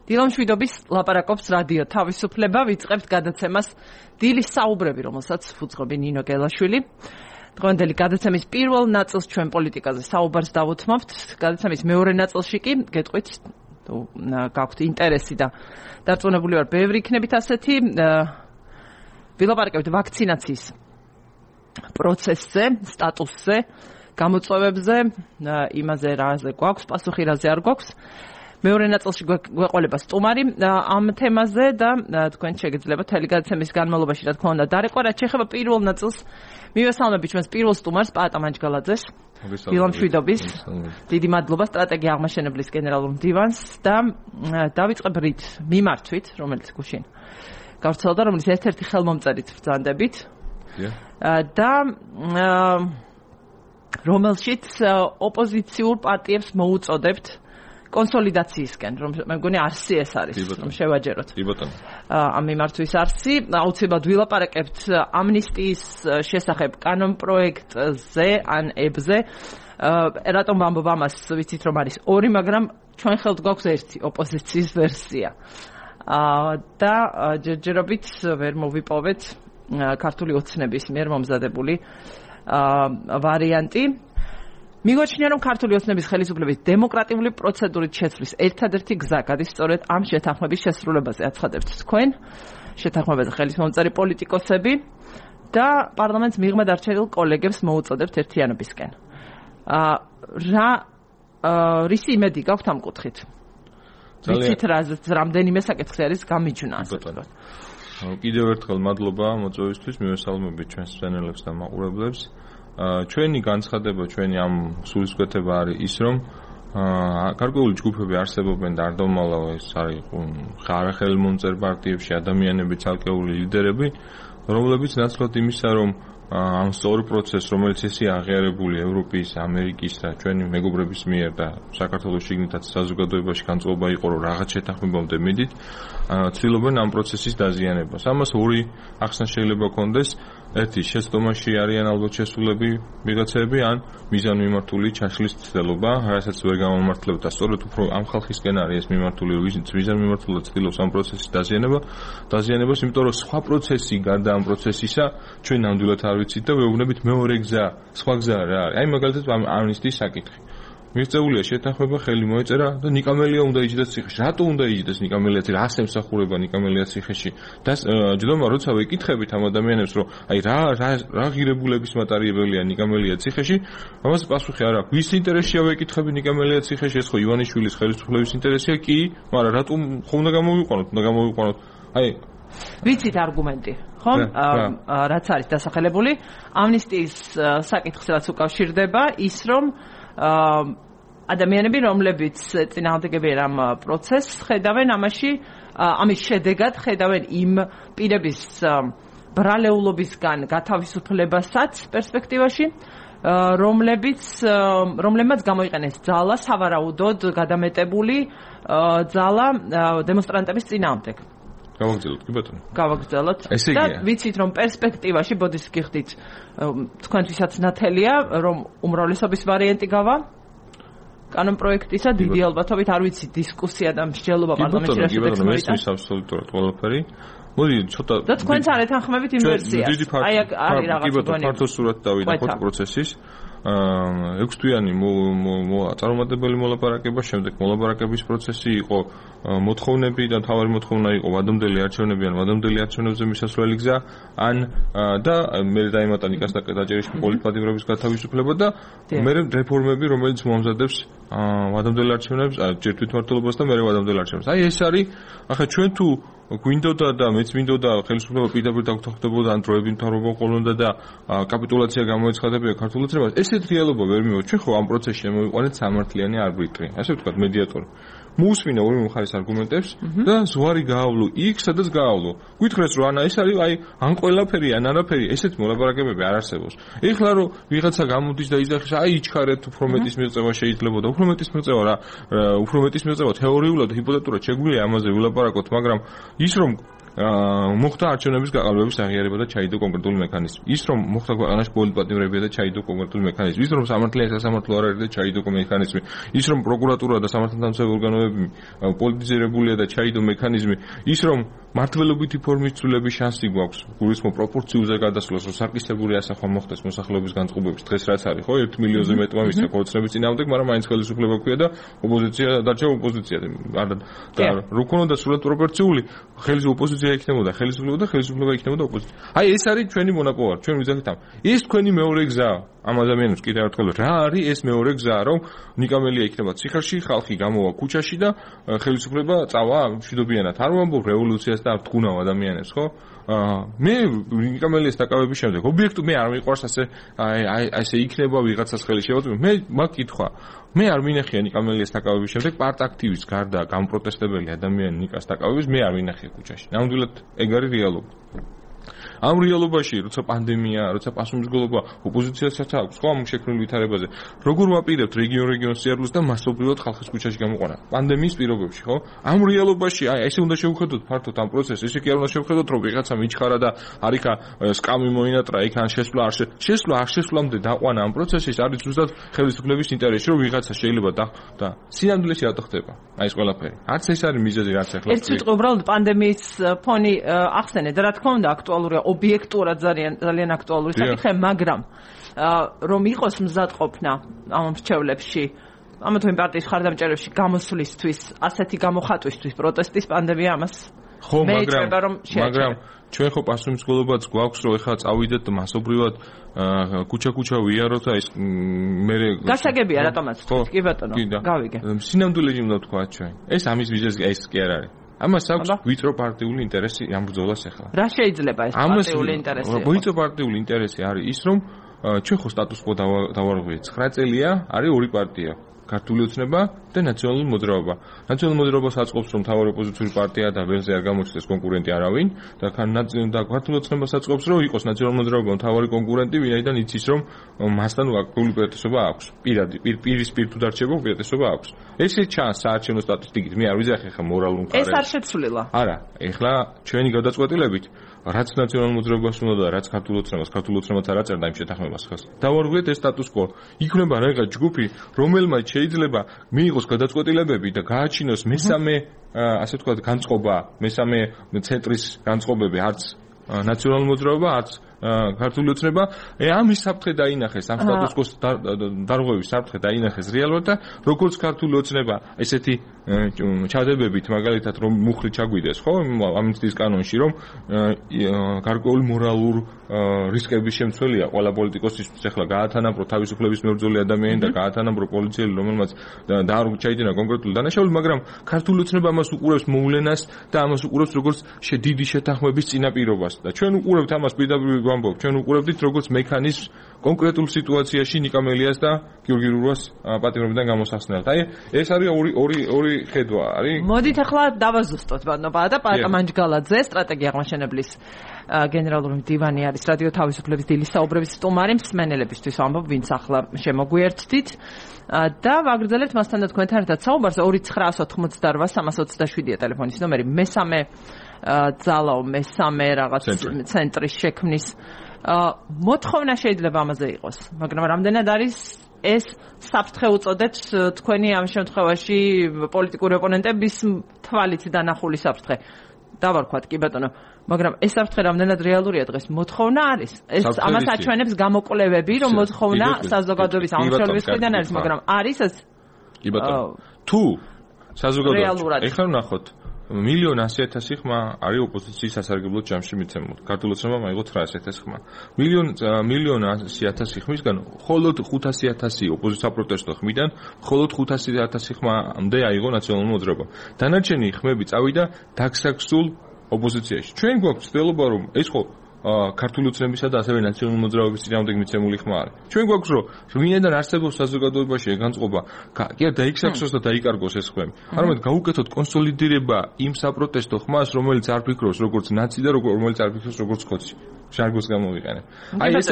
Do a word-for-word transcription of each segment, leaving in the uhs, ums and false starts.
დილა მშვიდობის ლაპარაკობს რადიო თავისუფლება, ვიწყებთ გადაცემას დილის საუბრები, რომელსაც ფუძღობი ნინო გელაშვილი. დღევანდელი გადაცემის პირველ ნაწილს ჩვენ პოლიტიკაზე საუბარს დავუთმობთ. გადაცემის მეორე ნაწილში კი გეტყვით, თუ გაქვთ ინტერესი და დარწმუნებული ვარ, ბევრი იქნებით ასეთი. ვილაპარაკებთ ვაქცინაციის პროცესზე, სტატუსზე, გამოწვევებზე, იმაზე რაზე გვაქვს პასუხი, რაზე არ გვაქვს. მეორე ნაწილში გვეყოლება სტუმარი ამ თემაზე და თქვენ შეგიძლიათ თელი გადაცემის განმავლობაში რა თქმა უნდა დარეკვა. რაც შეეხება პირველ ნაწილს, მივესალმები ჩვენს პირველ სტუმარს, პაატა მანჯგალაძეს. დილა მშვიდობის. დიდი მადლობა სტრატეგია აღმაშენებლის გენერალურ მდივანს და დავიწყებ რით მიმართვით, რომელიც გუშინ გავრცელდა, რომელიც ერთ-ერთი ხელმომწერით ბრძანდებით. და რომელშიც ოპოზიციურ პარტიებს მოუწოდებთ კონსოლიდაციისკენ, რომ მე მგონი არსი ეს არის, რომ შევაჯეროთ. კი ბატონო. ამ მიმართვის არსი, აუცილებლად ვილაპარაკებთ ამნისტიის შესახებ კანონპროექტზე, ან ებზე. რატომ ვამბობ ამას, ვიცით რომ არის ორი, მაგრამ ჩვენ ხელთ გვაქვს ერთი ოპოზიციის ვერსია. და ჯერჯერობით ვერ მოვიპოვეთ ქართული ოცნების მიერ მომზადებული ვარიანტი. მიგვაჩნია, რომ ქართული ოცნების ხელისუფლების დემოკრატიული პროცედურით შეცვლის ერთადერთი გზა გადის სწორედ ამ შეთანხმების შესრულებაზე. აცხადებთ თქვენ შეთანხმებაზე ხელისმომწერი პოლიტიკოსები და პარლამენტს მიღმედ არჩეულ კოლეგებს მოუწოდებთ ერთიანობისკენ. რა რისი იმედი გაქვთ ამ კუთხით? ვიცით რა რამდენიმე საკითხი არის გამიჯვნა, ასე ვთქვათ. კიდევ ერთხელ მადლობა მოწვევისთვის, მივესალმებით ჩვენს მშენებლებს და მაყურებლებს. ჩვენი განცხადება, ჩვენი ამ სულისკვეთება არის ის, რომ გარკვეული ჯგუფები არსებობენ და არ დავმალავ, ეს არის ხარახელმომწერ პარტიებში ადამიანები, ცალკეული ლიდერები, რომლებიც ნაცვლად იმისა, რომ ამ სწორ პროცესს, რომელიც ესე აღიარებული ევროპის, ამერიკის და ჩვენი მეგობრების მიერ და საქართველოს შიგნითაც საზოგადოებაში განწყობა იყო, რომ რაღაც შეთანხმებამდე მიდით, ცდილობენ ამ პროცესის დაზიანებას. ამას ორი ახსნა შეიძლება კონდეს. ერთი, შეცდომაში არიან ალბათ შესულები ვიღაცები, ან მიზანმიმართული ჩაშლის ცდილობა, რასაც ვერ გამომართლებთ და სწორედ უფრო ამ ხალხისკენ არის ეს მიმართული, ვიზით მიზანმიმართულად ცდილობს ამ პროცესის დაზიანება, დაზიანებას, იმიტომ რომ სხვა პროცესი გარდა ამ პროცესისა ჩვენ ნამდვილად არ ვიცით და ვეუბნებით მეორე გზა, სხვა გზა რა არის. აი მაგალითად ამნისტიის საკითხი. მიღწეულია შეთანხმება, ხელი მოეწერა და ნიკამელია უნდა იჯდეს ციხეში. რატო უნდა იჯდეს ნიკამელია ციხეში? რა ემსახურება ნიკამელია ციხეში? და ჯდომა როცა ვეკითხებით ამ ადამიანებს, რომ აი რა რა ღირებულების მატარებელია ნიკამელია ციხეში, ამას პასუხი არ აქვს. ვის ინტერესია ვეკითხები ნიკამელია ციხეში? ეს ხო ივანიშვილის ხელისუფლების ინტერესია? კი, მაგრამ რატომ ხო უნდა გამოვიყვანოთ? უნდა გამოვიყვანოთ. აი ვიცით არგუმენტი, ხო? რაც არის დასახელებული ამნისტიის საკითხს რაც უკავშირდება ის, რომ ადამიანები, რომლებიც წინააღმდეგებიან ამ პროცესს, ხედავენ ამაში, ამის შედეგად ხედავენ იმ პირების ბრალეულობისგან გათავისუფლებასაც პერსპექტივაში, რომლებიც რომლებმაც გამოიყენეს ძალა, სავარაუდოდ გადამეტებული ძალა დემონსტრანტების წინააღმდეგ. გავაგრძელოთ, კი ბატონო. გავაგრძელოთ. და ვიცით, რომ პერსპექტივაში ბოდის გიხდით თქვენთვისაც ნათელია, რომ უმრავლესობის ვარიანტი გავა კანონპროექტისა, დიდი ალბათობით არ ვიცი დისკუსია და მსჯელობა პარლამენტში რა შედეგს მოიტანს. ეს ის აბსოლუტურად ყველაფერი. მოდი ცოტა და თქვენც არ ეთანხმებით იმ ვერსიას. აი არის რაღაც გონი. ფართო სურათი დავინახოთ პროცესის. ექვს თვიანი წარუმატებელი მოლაპარაკება, შემდეგ მოლაპარაკების პროცესი იყო, მოთხოვნები და თავარი მოთხოვნა იყო ვადამდელი არჩევნები ან ვადამდელი არჩევნებზე მისასვლელი გზა, ან და მე დაემატა ნიკას დაჭერიშვილის პოლიტპატიმრების გათავისუფლება და მე რეფორმები, რომელიც მოამზადებს ვადამდელ არჩევნებს, ჯერ თვითმმართველობას და მე ვადამდელ არჩევნებს. აი ეს არის, ახლა ჩვენ თუ გვინდოდა და მეც მინდოდა ხელისუფლება პირდაპირ დაგუთავდებოდა ან დროები მთავრობა ყოლონდა და კაპიტულაცია გამოეცხადებია ქართულ ოცნებას. ესეთ რეალობა ვერ მივიღოთ. ჩვენ ხო ამ პროცესში შემოვიყვანეთ სამართლიანი არბიტრი, ასე ვთქვათ, მედიატორი. მოусმინა ორივე მხარის არგუმენტებს და ზღვარი გაავლო იქ, სადაც გაავლო. გითხრეს რომ ანა ეს არის, აი, ან ყველაფერი, ან არაფერი, ესეთ მოლაპარაკებები არ არსებობს. ეხლა რომ ვიღაცა გამოდის და იძახის, აი, იჩქარეთ, უფრო მეტის მიღწევა შეიძლება და უფრო მეტის მიღწევა რა, უფრო მეტის მიღწევა თეორიულად, ჰიპოთეტურად შეგვიძლია ამაზე ვილაპარაკოთ, მაგრამ ის რომ მოხდა არჩევნების გაყალბების აღიარება და ჩაიდო კონკრეტული მექანიზმი. ის რომ მოხდა ქვეყანაში პოლიტპატიმრებია და ჩაიდო კონკრეტული მექანიზმი. ის რომ სამართლიანი სასამართლო არ არის და ჩაიდო მექანიზმი. ის რომ პროკურატურა და სამართალდამცავი ორგანოები პოლიტიზირებულია და ჩაიდო მექანიზმი. ის რომ მართლობითი ფორმის ცვლილების შანსი გვაქვს გულისხმობ პროპორციულზე გადასვლას, რომ საკისებური ასახვა მოხდეს მოსახლეობის განწყობების დღეს რაც არის, ხო, ერთ მილიონზე მეტმა მისცა ქორწინების წინააღმდეგ, მაგრამ მაინც ხელისუფლება ქვია და ოპოზიცია დარჩა ოპოზიცია. და რო ქონოდა სრულად პროპორციული, ხელის ოპოზიცია იქნებოდა ხელისუფლება და ხელისუფლება იქნებოდა ოპოზიცია. აი ეს არის ჩვენი მონაპოვარი, ჩვენ ვიზახით ამ. ეს თქვენი მეორე გზაა. ამ ადამიანებს კიდევ ერთხელ რა არის ეს მეორე გზა, რომ ნიკამელია იქნება ციხეში, ხალხი გამოვა ქუჩაში და ხელისუფლება წავა მშვიდობიანად. არ ვამბობ რევოლუციას და ვთქუნავ ადამიანებს, ხო? მე ნიკამელიას დაკავების შემდეგ ობიექტო მე არ მიყვარს ასე აი ასე იქნება ვიღაცას ხელი შევაწყვეტ. მე მაგ კითხვა მე არ მინახია ნიკამელიას დაკავების შემდეგ პარტ-აქტივის გარდა გამპროტესტებელი ადამიანი ნიკას დაკავების მე არ მინახია ქუჩაში. ნამდვილად ეგ არის რეალობა. ამ რეალობაში, როცა პანდემია, როცა პასუხისმგებლობა ოპოზიციასაც აქვს, ხო, ამ შექმნილ ვითარებაზე, როგორ ვაპირებთ რეგიონ-რეგიონს სიარულს და მასობრივად ხალხის ქუჩაში გამოყვანა პანდემიის პირობებში, ხო? ამ რეალობაში, აი, ესე უნდა შევხედოთ ფართოდ ამ პროცესს, ესე კი არ უნდა შევხედოთ, რომ ვიღაცა მიჩხარა და არიქა სკამი მოინატრა, იქ ან შესვლა არ შესვლა არ შესვლამდე დაყვანა ამ პროცესის არის ზუსტად ხელისუფლების ინტერესში, რომ ვიღაცა შეიძლება და სინამდვილეში რატო ხდება? აი ეს ყველაფერი. არც ეს არის მიზეზი, რაც ახლა. ეს სიტყვა უბრალოდ პანდემიის ფონი ახსენეთ, რა თქმა უნდა, აქტუალურია ობიექტურად ძალიან ძალიან აქტუალური საკითხია, მაგრამ რომ იყოს მზადყოფნა ამ მრჩევლებში, ამა თუ იმ პარტიის მხარდამჭერებში გამოსვლისთვის, ასეთი გამოხატვისთვის პროტესტის პანდემია ამას ხო, მაგრამ მაგრამ ჩვენ ხო პასუხისმგებლობაც გვაქვს, რომ ეხლა წავიდეთ მასობრივად ქუჩა-ქუჩა ვიაროთ, აი ეს მე გასაგებია რატომაც კი ბატონო, გავიგე. სინამდვილეში უნდა თქვა ჩვენ. ეს ამის მიზეზი ეს კი არ არის. ამას აქვს ვიწრო პარტიული ინტერესი ამ ბრძოლას ახლა. რა შეიძლება ეს პარტიული ინტერესი? ვიწრო პარტიული ინტერესი არის ის, რომ ჩვენ ხო სტატუს-კვო დავარღვიეთ. ცხრა წელია არის ორი პარტია. ქართული ოცნება და ნაციონალური მოძრაობა. ნაციონალური მოძრაობა საწყობს, რომ მთავარი ოპოზიციური პარტია და ველზე არ გამოჩნდეს კონკურენტი არავინ და და ქართული ოცნება საწყობს, რომ იყოს ნაციონალური მოძრაობა მთავარი კონკურენტი, ვინაიდან იცის, რომ მასთან აქტიური უპირატესობა აქვს. პირადი პირისპირ თუ დარჩება უპირატესობა აქვს. ესე ჩანს საარჩევნო სტატისტიკით. მე არ ვიზახი ხა მორალურ მხარეს. ეს არ შეცვლილა. არა, ეხლა ჩვენი გადაწყვეტილებით რაც ნაციონალურ მოძრაობას უნდა და რაც ქართულ ოცნებას, ქართულ ოცნებაც არ აწერდა იმ შეთანხმებას ხელს. დავარღვიეთ ეს სტატუს-კვო. იქნება რაღაც ჯგუფი, რომელმაც შეიძლება მიიღოს გადაწყვეტილებები და გააჩინოს მესამე, ასე ვთქვათ, განწყობა, მესამე ცენტრის განწყობები, არც ნაციონალურ მოძრაობა, არც ქართული ოცნება, ამის საფრთხე დაინახეს, ამ სტატუს-კვოს დარღვევის საფრთხე დაინახეს რეალურად და როგორც ქართული ოცნება ესეთი ჩადებებით, მაგალითად, რომ მუხლი ჩაგვიდეს, ხო, ამნისტიის კანონში, რომ გარკვეული მორალურ რისკების შემცველია ყველა პოლიტიკოსისთვის, ახლა გაათანაბრო თავისუფლების მებრძოლი ადამიანი და გაათანაბრო პოლიციელი, რომელმაც დაარჩაიდინა კონკრეტული დანაშაული, მაგრამ ქართული ოცნება ამას უყურებს მოვლენას და ამას უყურებს როგორც დიდი შეთანხმების წინაპირობას და ჩვენ უყურებთ ამას პირდაპირ ვამბობ, ჩვენ უყურებდით როგორც მექანიზმს კონკრეტულ სიტუაციაში ნიკამელიას და გიორგი რურვას პატიმრობიდან გამოსახსნელად. აი, ეს არის ორი ორი ორი ხედვა, არის. მოდით ახლა დავაზუსტოთ ბატონო და პატა მანჯგალაძე, სტრატეგია აღმაშენებლის გენერალური მდივანი არის რადიო თავისუფლების დილის საუბრების სტუმარი, მსმენელებისთვის ვამბობ, ვინც ახლა შემოგვიერთდით და ვაგრძელებთ მასთან და თქვენთან ერთად საუბარს. ორი ცხრაას ოთხმოცდაორვა სამას ოცდაშვიდია ტელეფონის ნომერი, მესამე ძალაო მესამე რაღაც ცენტრის შექმნის მოთხოვნა შეიძლება ამაზე იყოს, მაგრამ რამდენად არის ეს საფრთხე უწოდეთ თქვენი ამ შემთხვევაში პოლიტიკური ოპონენტების თვალით დანახული საფრთხე. დავარქვათ კი ბატონო, მაგრამ ეს საფრთხე რამდენად რეალურია დღეს? მოთხოვნა არის. ეს ამას აჩვენებს გამოკვლევები, რომ მოთხოვნა საზოგადოების ამშრომლობის მხრიდან არის, მაგრამ არის ეს? კი ბატონო. თუ საზოგადოება ეხლა ნახოთ მილიონ ასი ათასი ხმა არის ოპოზიციის სასარგებლო ჯამში მიცემული. ქართულ ოცნებამ აიღო ცხრაას ათასი ხმა. მილიონ მილიონ ასი ათასი ხმისგან მხოლოდ ხუთასი ათასი ოპოზიცია პროტესტო ხმიდან, მხოლოდ ხუთასი ათასი ხმამდე აიღო ნაციონალური მოძრაობა. დანარჩენი ხმები წავიდა დაგსაქსულ ოპოზიციაში. ჩვენ გვაქვს ცდილობა, რომ ეს ხო ქართული ოცნებისა და ასევე ნაციონალური მოძრაობის წინააღმდეგ მიცემული ხმა არის. ჩვენ გვაქვს რომ ვინაიდან არსებობს საზოგადოებაში განწყობა, კი არა დაიქსაქსოს და დაიკარგოს ეს ხმები. არამედ გაუკეთოთ კონსოლიდირება იმ საპროტესტო ხმას, რომელიც არ ფიქრობს როგორც ნაცი და რომელიც არ ფიქრობს როგორც ხოცი. შარგოს გამოვიყენე. აი ეს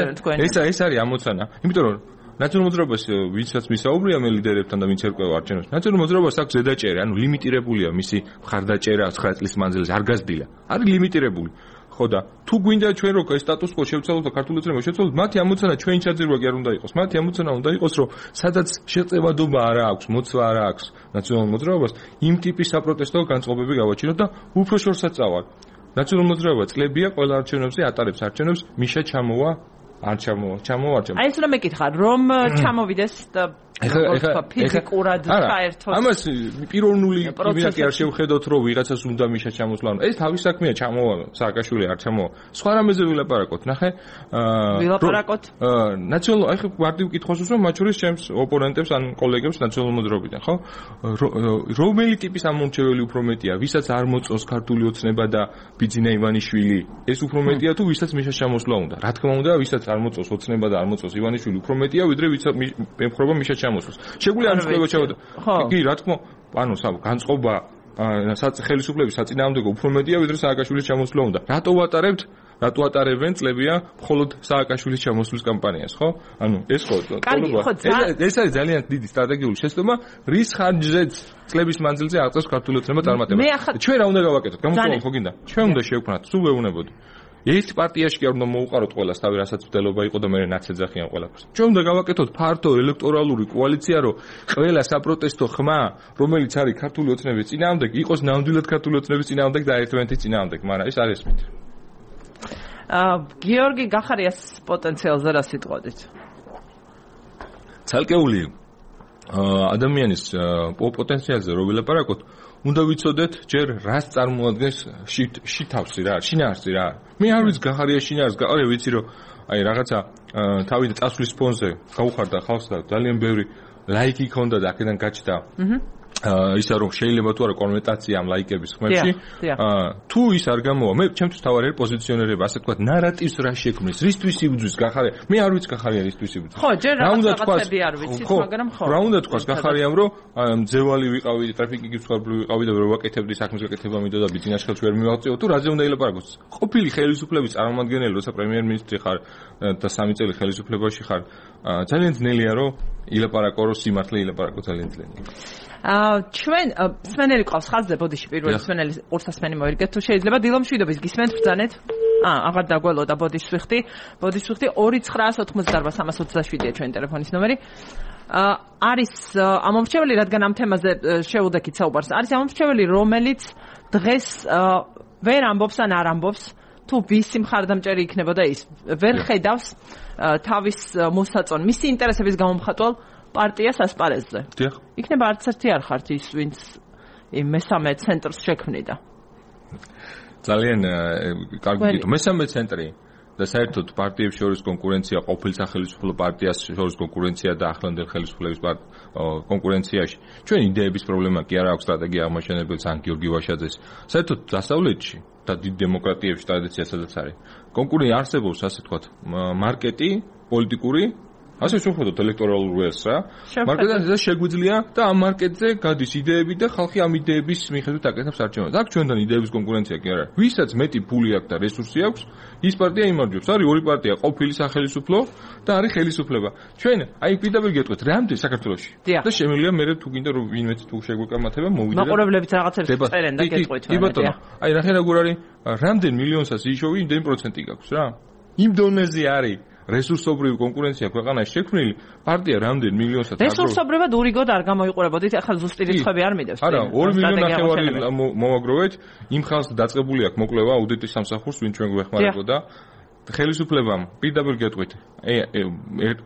ეს ეს არის ამოცანა. იმიტომ რომ ნაციონალურ მოძრაობას ვინცაც მისაუბრია მე ლიდერებთან და ვინც ერკვევა არჩევნებს. ნაციონალურ მოძრაობას აქვს ზედაჭერა, ანუ ლიმიტირებულია მისი მხარდაჭერა ცხრა წლის მანძილზე, არ გაზრდილა. არის ლიმიტირებული. ხო და თუ გვინდა ჩვენ რო სტატუს კო შევცვალოთ და ქართული ოცნება შევცვალოთ, მათი ამოცანა ჩვენი ჩაძირვა კი არ უნდა იყოს. მათი ამოცანა უნდა იყოს, რომ სადაც შეწევადობა არ აქვს, მოცვა არ აქვს ნაციონალურ მოძრაობას, იმ ტიპის საპროტესტო განწყობები გავაჩინოთ და უფრო შორსაც წავალ. ნაციონალურ მოძრაობა წლებია ყველა არჩევნებზე ატარებს არჩევნებს, მიშა ჩამოვა, არ ჩამოვა, ჩამოვა, არ ჩამოვა. აი ეს რომ მეკითხა, რომ ჩამოვიდეს და ეხლა ფიზიკურად ჩაერთოს. ამას პიროვნული იმით არ შევხედოთ, რომ ვიღაცას უნდა მიშა ჩამოსვლა. ეს თავის საქმეა, ჩამოვა სააკაშვილი არ ჩამოვა. სხვა რამეზე ვილაპარაკოთ, ნახე. აა ვილაპარაკოთ. ნაციონალურ, აი ხო მარტივ კითხვას უსვამ, მათ შორის ჩემს ოპონენტებს ან კოლეგებს ნაციონალურ მოძრაობიდან, ხო? რომელი ტიპის ამომრჩეველი უფრო მეტია, ვისაც არ მოწონს ქართული ოცნება და ბიძინა ივანიშვილი, ეს უფრო მეტია თუ ვისაც მიშა ჩამოსვლა უნდა. რა თქმა უნდა, ვისაც არ მოწონს ოცნება და არ მოწონს ივანიშვილი, უფრო მეტია, ვიდრე ვისაც ემხრობა მიშა ჩამოსვლა. შეგვიძლია ამ წყობა ჩავდა. კი, რა თქმა, ანუ განწყობა ხელისუფლების საწინააღმდეგო უფრო მეტია, ვიდრე სააკაშვილის ჩამოსვლა უნდა. რატო ვატარებთ? რატო ატარებენ წლებია მხოლოდ სააკაშვილის ჩამოსვლის კამპანიას, ხო? ანუ ეს ხო ეს არის ძალიან დიდი სტრატეგიული შეცდომა, რის ხარჯზეც წლების მანძილზე აღწევს ქართული ოცნება წარმატებას. ჩვენ რა უნდა გავაკეთოთ? გამოწვეულ ხო გინდა? ჩვენ უნდა შევქმნათ, სულ ვეუბნებოდი. ერთ პარტიაში კი არ უნდა მოუყაროთ ყველას თავი, რასაც ვდელობა იყო და მე ნაცეძახიან ყველაფერს. ჩვენ უნდა გავაკეთოთ ფართო ელექტორალური კოალიცია, რომ ყველა საპროტესტო ხმა, რომელიც არის ქართული ოცნების წინააღმდეგ, იყოს ნამდვილად ქართული ოცნების წინააღმდეგ და ერთმანეთის წინააღმდეგ, მაგრამ ეს არ ესმით. აა გიორგი გახარიას პოტენციალზე რა სიტყვით? ცალკეული ადამიანის პოტენციალზე რო ვილაპარაკოთ, უნდა ვიცოდეთ ჯერ რას წარმოადგენს შითავსი რა, შინაარსი რა. მე არ ვიცი გახარია შინაარსს, გახარია ვიცი რომ აი რაღაცა თავიდან წასვლის ფონზე გაუხარდა ხალხს და ძალიან ბევრი ლაიკი ქონდა და აქედან გაჩნდა. აჰა. ისა რომ შეიძლება თუ არა კონვერტაცია ამ ლაიკების ხმებში. თუ ის არ გამოვა, მე ჩემთვის თავარი პოზიციონერება, ასე თქვა, ნარატივს რა შექმნის, რისთვის იბძვის გახარია. მე არ ვიცი გახარია რისთვის იბძვის. ხო, ჯერ რაღაცები არ ვიცით, მაგრამ ხო. რა უნდა თქვას გახარიამ, რომ ძევალი ვიყავი, ტრაფიკი გიცხარბლი ვიყავი და ვერ ვაკეთებდი საქმის გაკეთება მინდოდა ბიზნეს ხელში ვერ მივაღწიო, თუ რაზე უნდა ილაპარაკოს. ყოფილი ხელისუფლების წარმომადგენელი, როცა პრემიერ-მინისტრი ხარ და სამი წელი ხელისუფლებაში ხარ, ძალიან ძნელია რომ ილაპარაკო, რომ სიმართლე ილაპარაკო ძალიან ძნელია. აა ჩვენ სმენელი ყავს ხაზზე ბოდიში პირველი სმენელი ორსასმენი მოერგეთ თუ შეიძლება დილომშვიდობის გისმენთ ბრძანეთ აა აღარ დაგველოდა ბოდიში ვიხდი ბოდიში ვიხდი ორი ცხრაას ოთხმოცდაარბა სამას ოცდაშვიდია ჩვენი ტელეფონის ნომერი აა არის ამომრჩეველი რადგან ამ თემაზე შეუდექით საუბარს არის ამომრჩეველი რომელიც დღეს ვერ ამბობს ან არ ამბობს თუ ვისი მხარდამჭერი იქნებოდა ის ვერ ხედავს თავის მოსაწონ მისი ინტერესების გამომხატველ პარტიას ასპარეზზე. დიახ. იქნება არც ერთი არ ხართ ის, ვინც იმ მესამე ცენტრს შექმნიდა. ძალიან კარგი გითხრა. მესამე ცენტრი და საერთოდ პარტიებს შორის კონკურენცია, ყოფილ სახელმწიფო პარტიას შორის კონკურენცია და ახლანდელ ხელისუფლების კონკურენციაში. ჩვენ იდეების პრობლემა კი არ აქვს სტრატეგია აღმაშენებელს ან გიორგი ვაშაძეს. საერთოდ დასავლეთში და დიდ დემოკრატიებში ტრადიცია სადაც არის. კონკურენცია არსებობს, ასე ვთქვათ, მარკეტი, პოლიტიკური ასე შევხედოთ ელექტორალურ ველს რა. მარკეტზე შეგვიძლია და ამ მარკეტზე გადის იდეები და ხალხი ამ იდეების მიხედვით აკეთებს არჩევნებს. აქ ჩვენთან იდეების კონკურენცია კი არ არის. ვისაც მეტი ფული აქვს და რესურსი აქვს, ის პარტია იმარჯვებს. არის ორი პარტია, ყოფილი სახელმწიფო და არის ხელისუფლება. ჩვენ აი პირდაპირ გეტყვით, რამდენი საქართველოში. და შემიძლია მე თუ გინდა რომ ვინმე თუ შეგვეკამათება, მოვიდე. მაყურებლებიც რაღაცებს წერენ და გეტყვით. კი ბატონო. აი ნახე როგორ არის, რამდენ მილიონსაც იშოვი, იმდენი პროცენტი გაქვს რა. იმ დონეზე არის რესურსობრივი კონკურენცია ქვეყანაში შექმნილი პარტია რამდენ მილიონსაც რესურსობრივად ურიგოდ არ გამოიყურებოდით ახლა ზუსტი რიცხვები არ მიდევს არა ორი მილიონი ნახევარი მოვაგროვეთ იმ ხალხს დაწყებული აქვს მოკვლევა აუდიტის სამსახურს ვინ ჩვენ გვეხმარებოდა ხელისუფლებამ პირდაპირ გეტყვით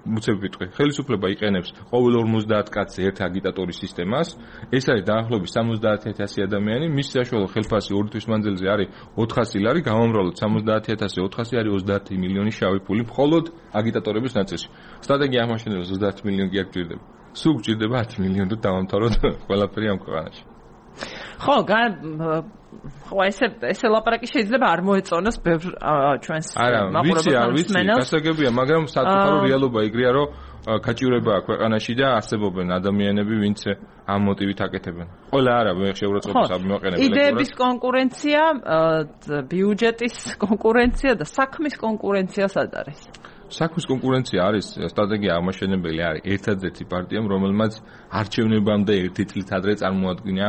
მუცები ვიტყვი ხელისუფლება იყენებს ყოველ ორმოცდაათ კაცზე ერთ აგიტატორის სისტემას ეს არის დაახლოებით სამოცდაათი ათასი ადამიანი მის საშუალო ხელფასი ორი თვის მანძილზე არის ოთხასი ლარი გამომრავლოთ სამოცდაათი ათასი ოთხასი არის ოცდაათი მილიონი შავი ფული მხოლოდ აგიტატორების ნაწილში სტრატეგია აღმაშენებელს ოცდაათი მილიონი კი არ გჭირდება სულ გჭირდება ათი მილიონი და დავამთავროთ ყველაფერი ამ ქვეყანაში ხო ხო ესე ესე ლაპარაკი შეიძლება არ მოეწონოს ბევრ ჩვენს მაყურებელს გასაგებია მაგრამ საკუთარო რეალობა იგრეა რომ გაჭირება აქვს ქვეყანაში და არსებობენ ადამიანები ვინც ამ მოტივით აკეთებენ ყველა არა მე შეურაცხყოფას ამიმაყენებელი იდეების კონკურენცია ბიუჯეტის კონკურენცია და საქმის კონკურენცია სად არის საქმის კონკურენცია არის სტრატეგია აღმაშენებელი არის ერთადერთი პარტიამ, რომელმაც არჩევნებამდე ერთი წლით ადრე წარმოადგინა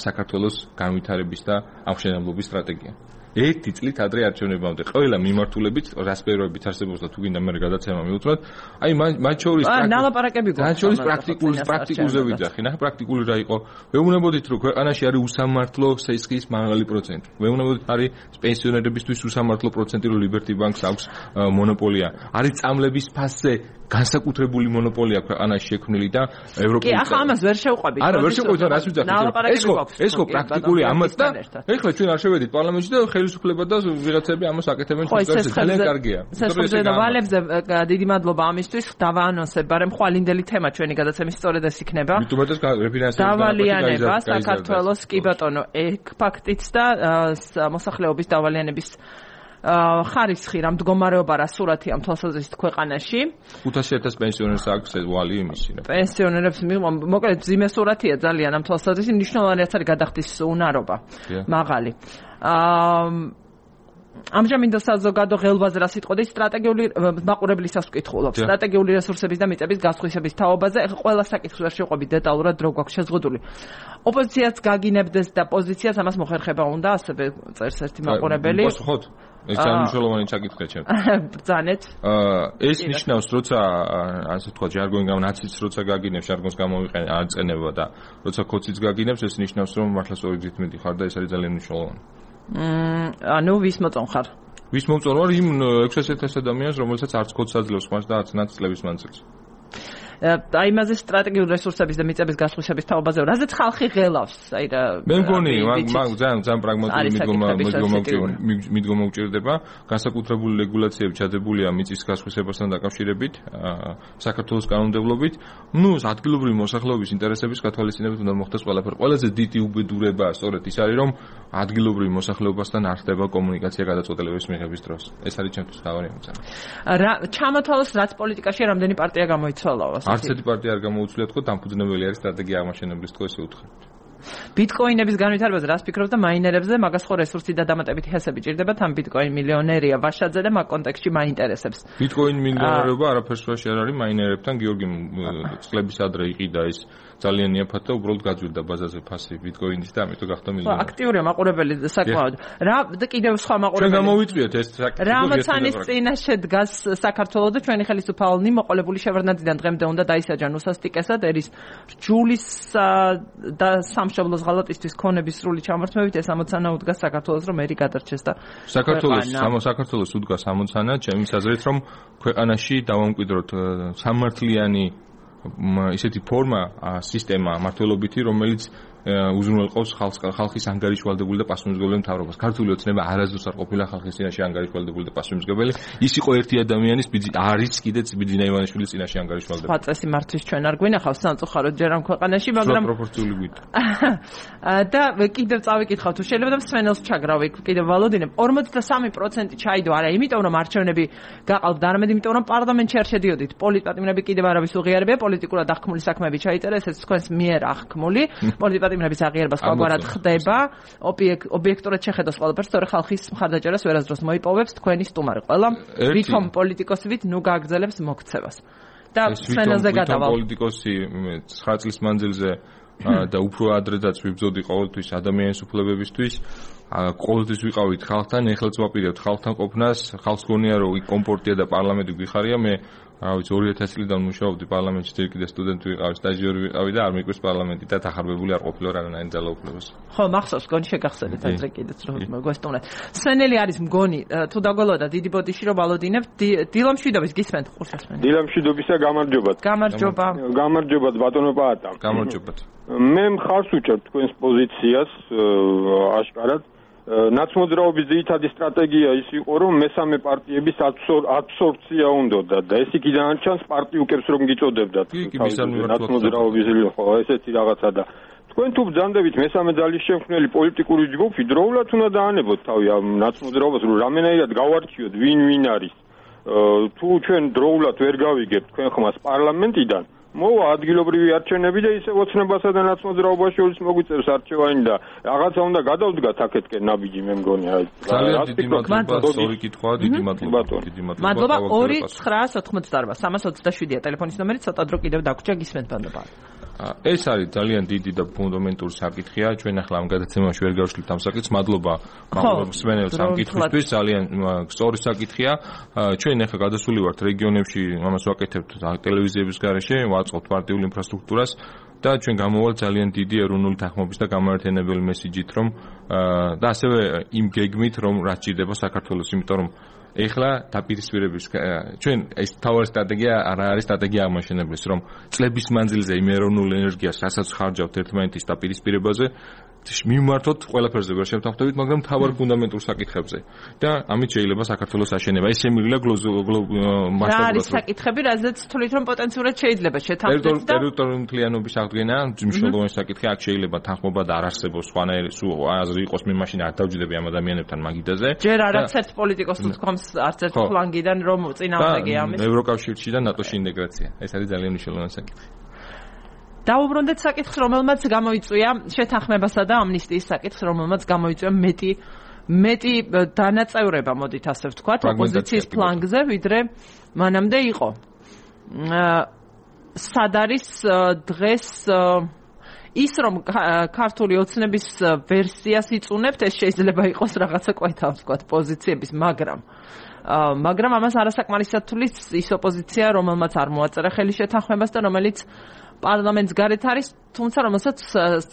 საქართველოს განვითარების და აღმშენებლობის სტრატეგია. ერთი წლით ადრე არჩევნებამდე ყველა მიმართულებით რასპეროებით არსებობს და თუ გინდა მე გადაცემა მივუძღოთ, აი მათ შორის ნალაპარაკები გვაქვს. მათ შორის პრაქტიკული პრაქტიკულზე ვიძახი, ნახე პრაქტიკული რა იყო. ვეუბნებოდით რომ ქვეყანაში არის უსამართლო სესხის მაღალი პროცენტი. ვეუბნებოდით არის პენსიონერებისთვის უსამართლო პროცენტი, რომ Liberty Bank-ს აქვს მონოპოლია. არის წამლების ფასზე განსაკუთრებული მონოპოლია ქვეყანაში შექმნილი და ევროპული. კი, ახლა ამას ვერ შევყვებით. არა, ვერ შევყვებით, რას ვიძახით? ეს ხო, ეს ხო პრაქტიკული ამაც და ეხლა ჩვენ არ შევედით პარლამენტში და ხელისუფლება და ვიღაცები ამას აკეთებენ ჩვენს ძალიან კარგია. სესხებზე და ვალებზე დიდი მადლობა ამისთვის. დავაანონსებ, მაგრამ ხვალინდელი თემა ჩვენი გადაცემის სწორედ ეს იქნება. მithumetes რეფინანსირება დავალიანება საქართველოს კი ბატონო, ეგ ფაქტიც და მოსახლეობის დავალიანების ხარისხი რა მდგომარეობა რა სურათია თვალსაზრისით ქვეყანაში. ხუთასი ათასი პენსიონერს აქვს ვალი იმისი რა. პენსიონერებს მოკლედ ძიმე სურათია ძალიან ამ თვალსაზრისით, მნიშვნელოვანია არის გადახდის უნარობა. მაღალი. აა ამჟამინდელ საზოგადო ღელვაზე რა სიტყვა და სტრატეგიული მაყურებლისას ვკითხულობ. სტრატეგიული რესურსების და მიწების გასხვისების თაობაზე ეხლა ყველა საკითხს ვერ შეყვებით დეტალურად დრო გვაქვს შეზღუდული. ოპოზიციაც გაგინებდეს და პოზიციას ამას მოხერხება უნდა, ასევე წერს ერთი მაყურებელი. პასუხოთ. ეს ძალიან მნიშვნელოვანი საკითხია ჩემ. ბრძანეთ. ეს ნიშნავს, როცა ასე თქვა ჟარგონი გამ ნაციც როცა გაგინებს ჟარგონს გამოვიყენე აწენება და როცა კოციც გაგინებს, ეს ნიშნავს, რომ მართლა სწორი გზით მიდიხარ და ეს არის ძალიან მნიშვნელოვანი. მმ ანუ ვის მოწონ ხარ? ვის მომწონ ვარ იმ ექვსი ათას ადამიანს, რომელსაც არც კოდს აძლევს ხმას და არც ნაც წლების მანძილზე. აი იმაზე სტრატეგიული რესურსების და მიწების გასხვისების თაობაზე, რაზეც ხალხი ღელავს, აი რა. მე მგონი, მაგ ძალიან ძალიან პრაგმატული მიდგომა მიდგომა უჭირდება, განსაკუთრებული რეგულაციები ჩადებულია მიწის გასხვისებასთან დაკავშირებით, საქართველოს კანონმდებლობით. ნუ ადგილობრივი მოსახლეობის ინტერესების გათვალისწინებით უნდა მოხდეს ყველაფერი. ყველაზე დიდი უბედურება სწორედ ის არის, რომ ადგილობრივი მოსახლეობასთან არ ხდება კომუნიკაცია გადაწყვეტილების მიღების დროს. ეს არის ჩემთვის თავარი ამოცანა. რა ჩამოთვალოს რაც პოლიტიკაში რამდენი პარტია გამოიცვალა? არც ერთი პარტია არ გამოუცვლია თქო, დამფუძნებელი არის სტრატეგია აღმაშენებლის თქო ესე უთხრით. ბიტკოინების განვითარებაზე რას ფიქრობთ და მაინერებზე მაგას ხო რესურსი და დამატებითი ჰესები ჭირდებათ ამ ბიტკოინ მილიონერია ვაშაძე და მაგ კონტექსტში მაინტერესებს. ბიტკოინ მილიონერობა არაფერს ვაში არ არის მაინერებთან გიორგი წლების ადრე იყიდა ეს ძალიან იაფად და უბრალოდ გაძვირდა ბაზაზე ფასი ბიტკოინის და ამიტომ გახდა მილიონერი. აქტიურია მაყურებელი საკმაოდ. რა და კიდევ სხვა მაყურებელი. ჩვენ გამოვიწვიეთ ეს საკითხი. რამოცანის წინაშე დგას საქართველოს და ჩვენი ხელისუფალნი მოყოლებული შევარდნადიდან დღემდე უნდა დაისაჯან უსასტიკესად ერის რჯულის და სამშობლოს ღალატისთვის ქონების სრული ჩამორთმევით ეს ამოცანა უდგას საქართველოს რომ ერი გადარჩეს და საქართველოს საქართველოს უდგას ამოცანა ჩემი აზრით რომ ქვეყანაში დავამკვიდროთ სამართლიანი ისეთი ფორმა სისტემა მართლობითი რომელიც უზრუნველყოფს ხალხს ხალხის ანგარიშვალდებული და პასუხისმგებელი მთავრობას. ქართული ოცნება არასდროს არ ყოფილა ხალხის წინაშე ანგარიშვალდებული და პასუხისმგებელი. ის იყო ერთი ადამიანის არის კიდეც ბიძინა ივანიშვილის წინაშე ანგარიშვალდებული. სხვა წესი მართვის ჩვენ არ გვინახავს სამწუხაროდ ჯერ ამ ქვეყანაში, მაგრამ პროპორციული გვით. და კიდევ წავიკითხავ თუ შეიძლება და მსმენელს ჩაგრავი კიდევ ვალოდინებ ორმოცდასამი პროცენტი ჩაიდო არა იმიტომ რომ არჩევნები გაყალბდა არამედ იმიტომ რომ პარლამენტში არ შედიოდით. პოლიტპატიმრები კიდევ არავის უღიარებია, პოლიტიკურად აღქმული საქმეები ჩაიწერა, ესეც თქვენს მიერ აღქმული. პოლიტპატიმრების აღიარება სხვაგვარად ხდება, ობიექტურად შეხედოს ყველაფერს, თორე ხალხის მხარდაჭერას ვერასდროს მოიპოვებს თქვენი სტუმარი. ყველა ვითომ პოლიტიკოსი ვით ნუ გააგრძელებს მოქცევას. და სვენელზე გადავალ. პოლიტიკოსი ცხრა წლის მანძილზე და უფრო ადრედაც ვიბრძოდი ყოველთვის ადამიანის უფლებებისთვის. ყოველთვის ვიყავით ხალხთან, ეხლაც ვაპირებთ ხალხთან ყოფნას, ხალხს გონია რომ კომფორტია და პარლამენტი გვიხარია, მე რა ვიცი ორი ათასი წლიდან მუშაობდი პარლამენტში, ჯერ კიდე სტუდენტი ვიყავი, სტაჟიორი ვიყავი და არ მიკვირს პარლამენტი და დახარბებული არ ყოფილა რანაირ ძალაუფლებას. ხო, მახსოვს, გონი შეგახსენეთ ადრე კიდეც რომ გვესტუმრეთ. სვენელი არის მგონი, თუ დაგველოდა დიდი ბოდიში რომ ვალოდინებ, დილამშვიდობის გისმენთ ყურსასმენი. დილამშვიდობისა გამარჯობათ. გამარჯობა. გამარჯობათ ბატონო პაატა. გამარჯობათ. მე მხარს ვუჭერთ თქვენს პოზიციას აშკარად. ნაცმოძრაობის ძირითადი სტრატეგია ის იყო, რომ მესამე პარტიების აბსორბცია უნდოდა და ეს იქიდან არჩანს პარტიუკებს რომ გიწოდებდათ. ნაცმოძრაობის ხო ესეთი რაღაცა და თქვენ თუ ბრძანდებით მესამე ძალის შემქმნელი პოლიტიკური ჯგუფი დროულად უნდა დაანებოთ თავი ამ ნაცმოძრაობას, რომ რამენაირად გავარჩიოთ ვინ ვინ არის. თუ ჩვენ დროულად ვერ გავიგებთ თქვენ ხმას პარლამენტიდან მოვა ადგილობრივი არჩევნები და ისე ოცნებასა და ნაცმოძრაობას შორის მოგვიწევს არჩევანი და რაღაცა უნდა გადავდგათ აქეთკენ ნაბიჯი მე მგონი აი ძალიან დიდი მადლობა სწორი კითხვაა დიდი მადლობა დიდი მადლობა მადლობა ორი ცხრა ოთხმოცდაარბა სამას ოცდაშვიდია ტელეფონის ნომერი ცოტა დრო კიდევ დაგვრჩა გისმენთ ბანობა ეს არის ძალიან დიდი და ფუნდამენტური საკითხია ჩვენ ახლა ამ გადაცემაში ვერ გავშლით ამ საკითხს მადლობა მსმენელს ამ კითხვისთვის ძალიან სწორი საკითხია ჩვენ ახლა გადასული ვართ რეგიონებში ამას ვაკეთებთ ტელევიზიების გარეშე ვაწყობთ პარტიულ ინფრასტრუქტურას და ჩვენ გამოვალთ ძალიან დიდი ეროვნული თანხმობის და გამაერთიანებელი მესიჯით რომ და ასევე იმ გეგმით რომ რაც ჭირდება საქართველოს იმიტომ რომ ეხლა დაპირისპირების ჩვენ ეს თავარი სტრატეგია არა არის სტრატეგია აღმაშენებლის რომ წლების მანძილზე იმ ეროვნულ ენერგიას რასაც ხარჯავთ ერთმანეთის დაპირისპირებაზე მიმართოთ ყველაფერზე ვერ შევთანხმდებით მაგრამ თავარ ფუნდამენტურ საკითხებზე და ამით შეიძლება საქართველოს აშენება ეს შემიძლია მასშტაბურად რა არის საკითხები რაზეც თვლით რომ პოტენციურად შეიძლება შეთანხმდეთ და ტერიტორიული მთლიანობის აღდგენა მნიშვნელოვანი საკითხია აქ შეიძლება თანხმობა და არ არსებობს სხვანაირი სულ აზრი იყოს მე მაშინ არ დავჯდები ამ ადამიანებთან მაგიდაზე ჯერ არც ერთ პოლიტიკოსს თქოს არც ერთ ფლანგიდან რომ წინააღმდეგია ამის ევროკავშირში და ნატოში ინტეგრაცია ეს არის ძალიან მნიშვნელოვანი საკითხი დაუბრუნდეთ საკითხს, რომელმაც გამოიწვია შეთანხმებასა და ამნისტიის საკითხს, რომელმაც გამოიწვია მეტი მეტი დანაწევრება, მოდით ასე ვთქვათ, ოპოზიციის ფლანგზე, ვიდრე მანამდე იყო. სად არის დღეს ის რომ ქართული ოცნების ვერსიას იწუნებთ, ეს შეიძლება იყოს რაღაცა კვეთა, ვთქვათ, პოზიციების, მაგრამ მაგრამ ამას არასაკმარისად თulis ის ოპოზიცია, რომელმაც არ მოაწერა ხელი შეთანხმებას და რომელიც პარლამენტს გარეთ არის, თუმცა რომელსაც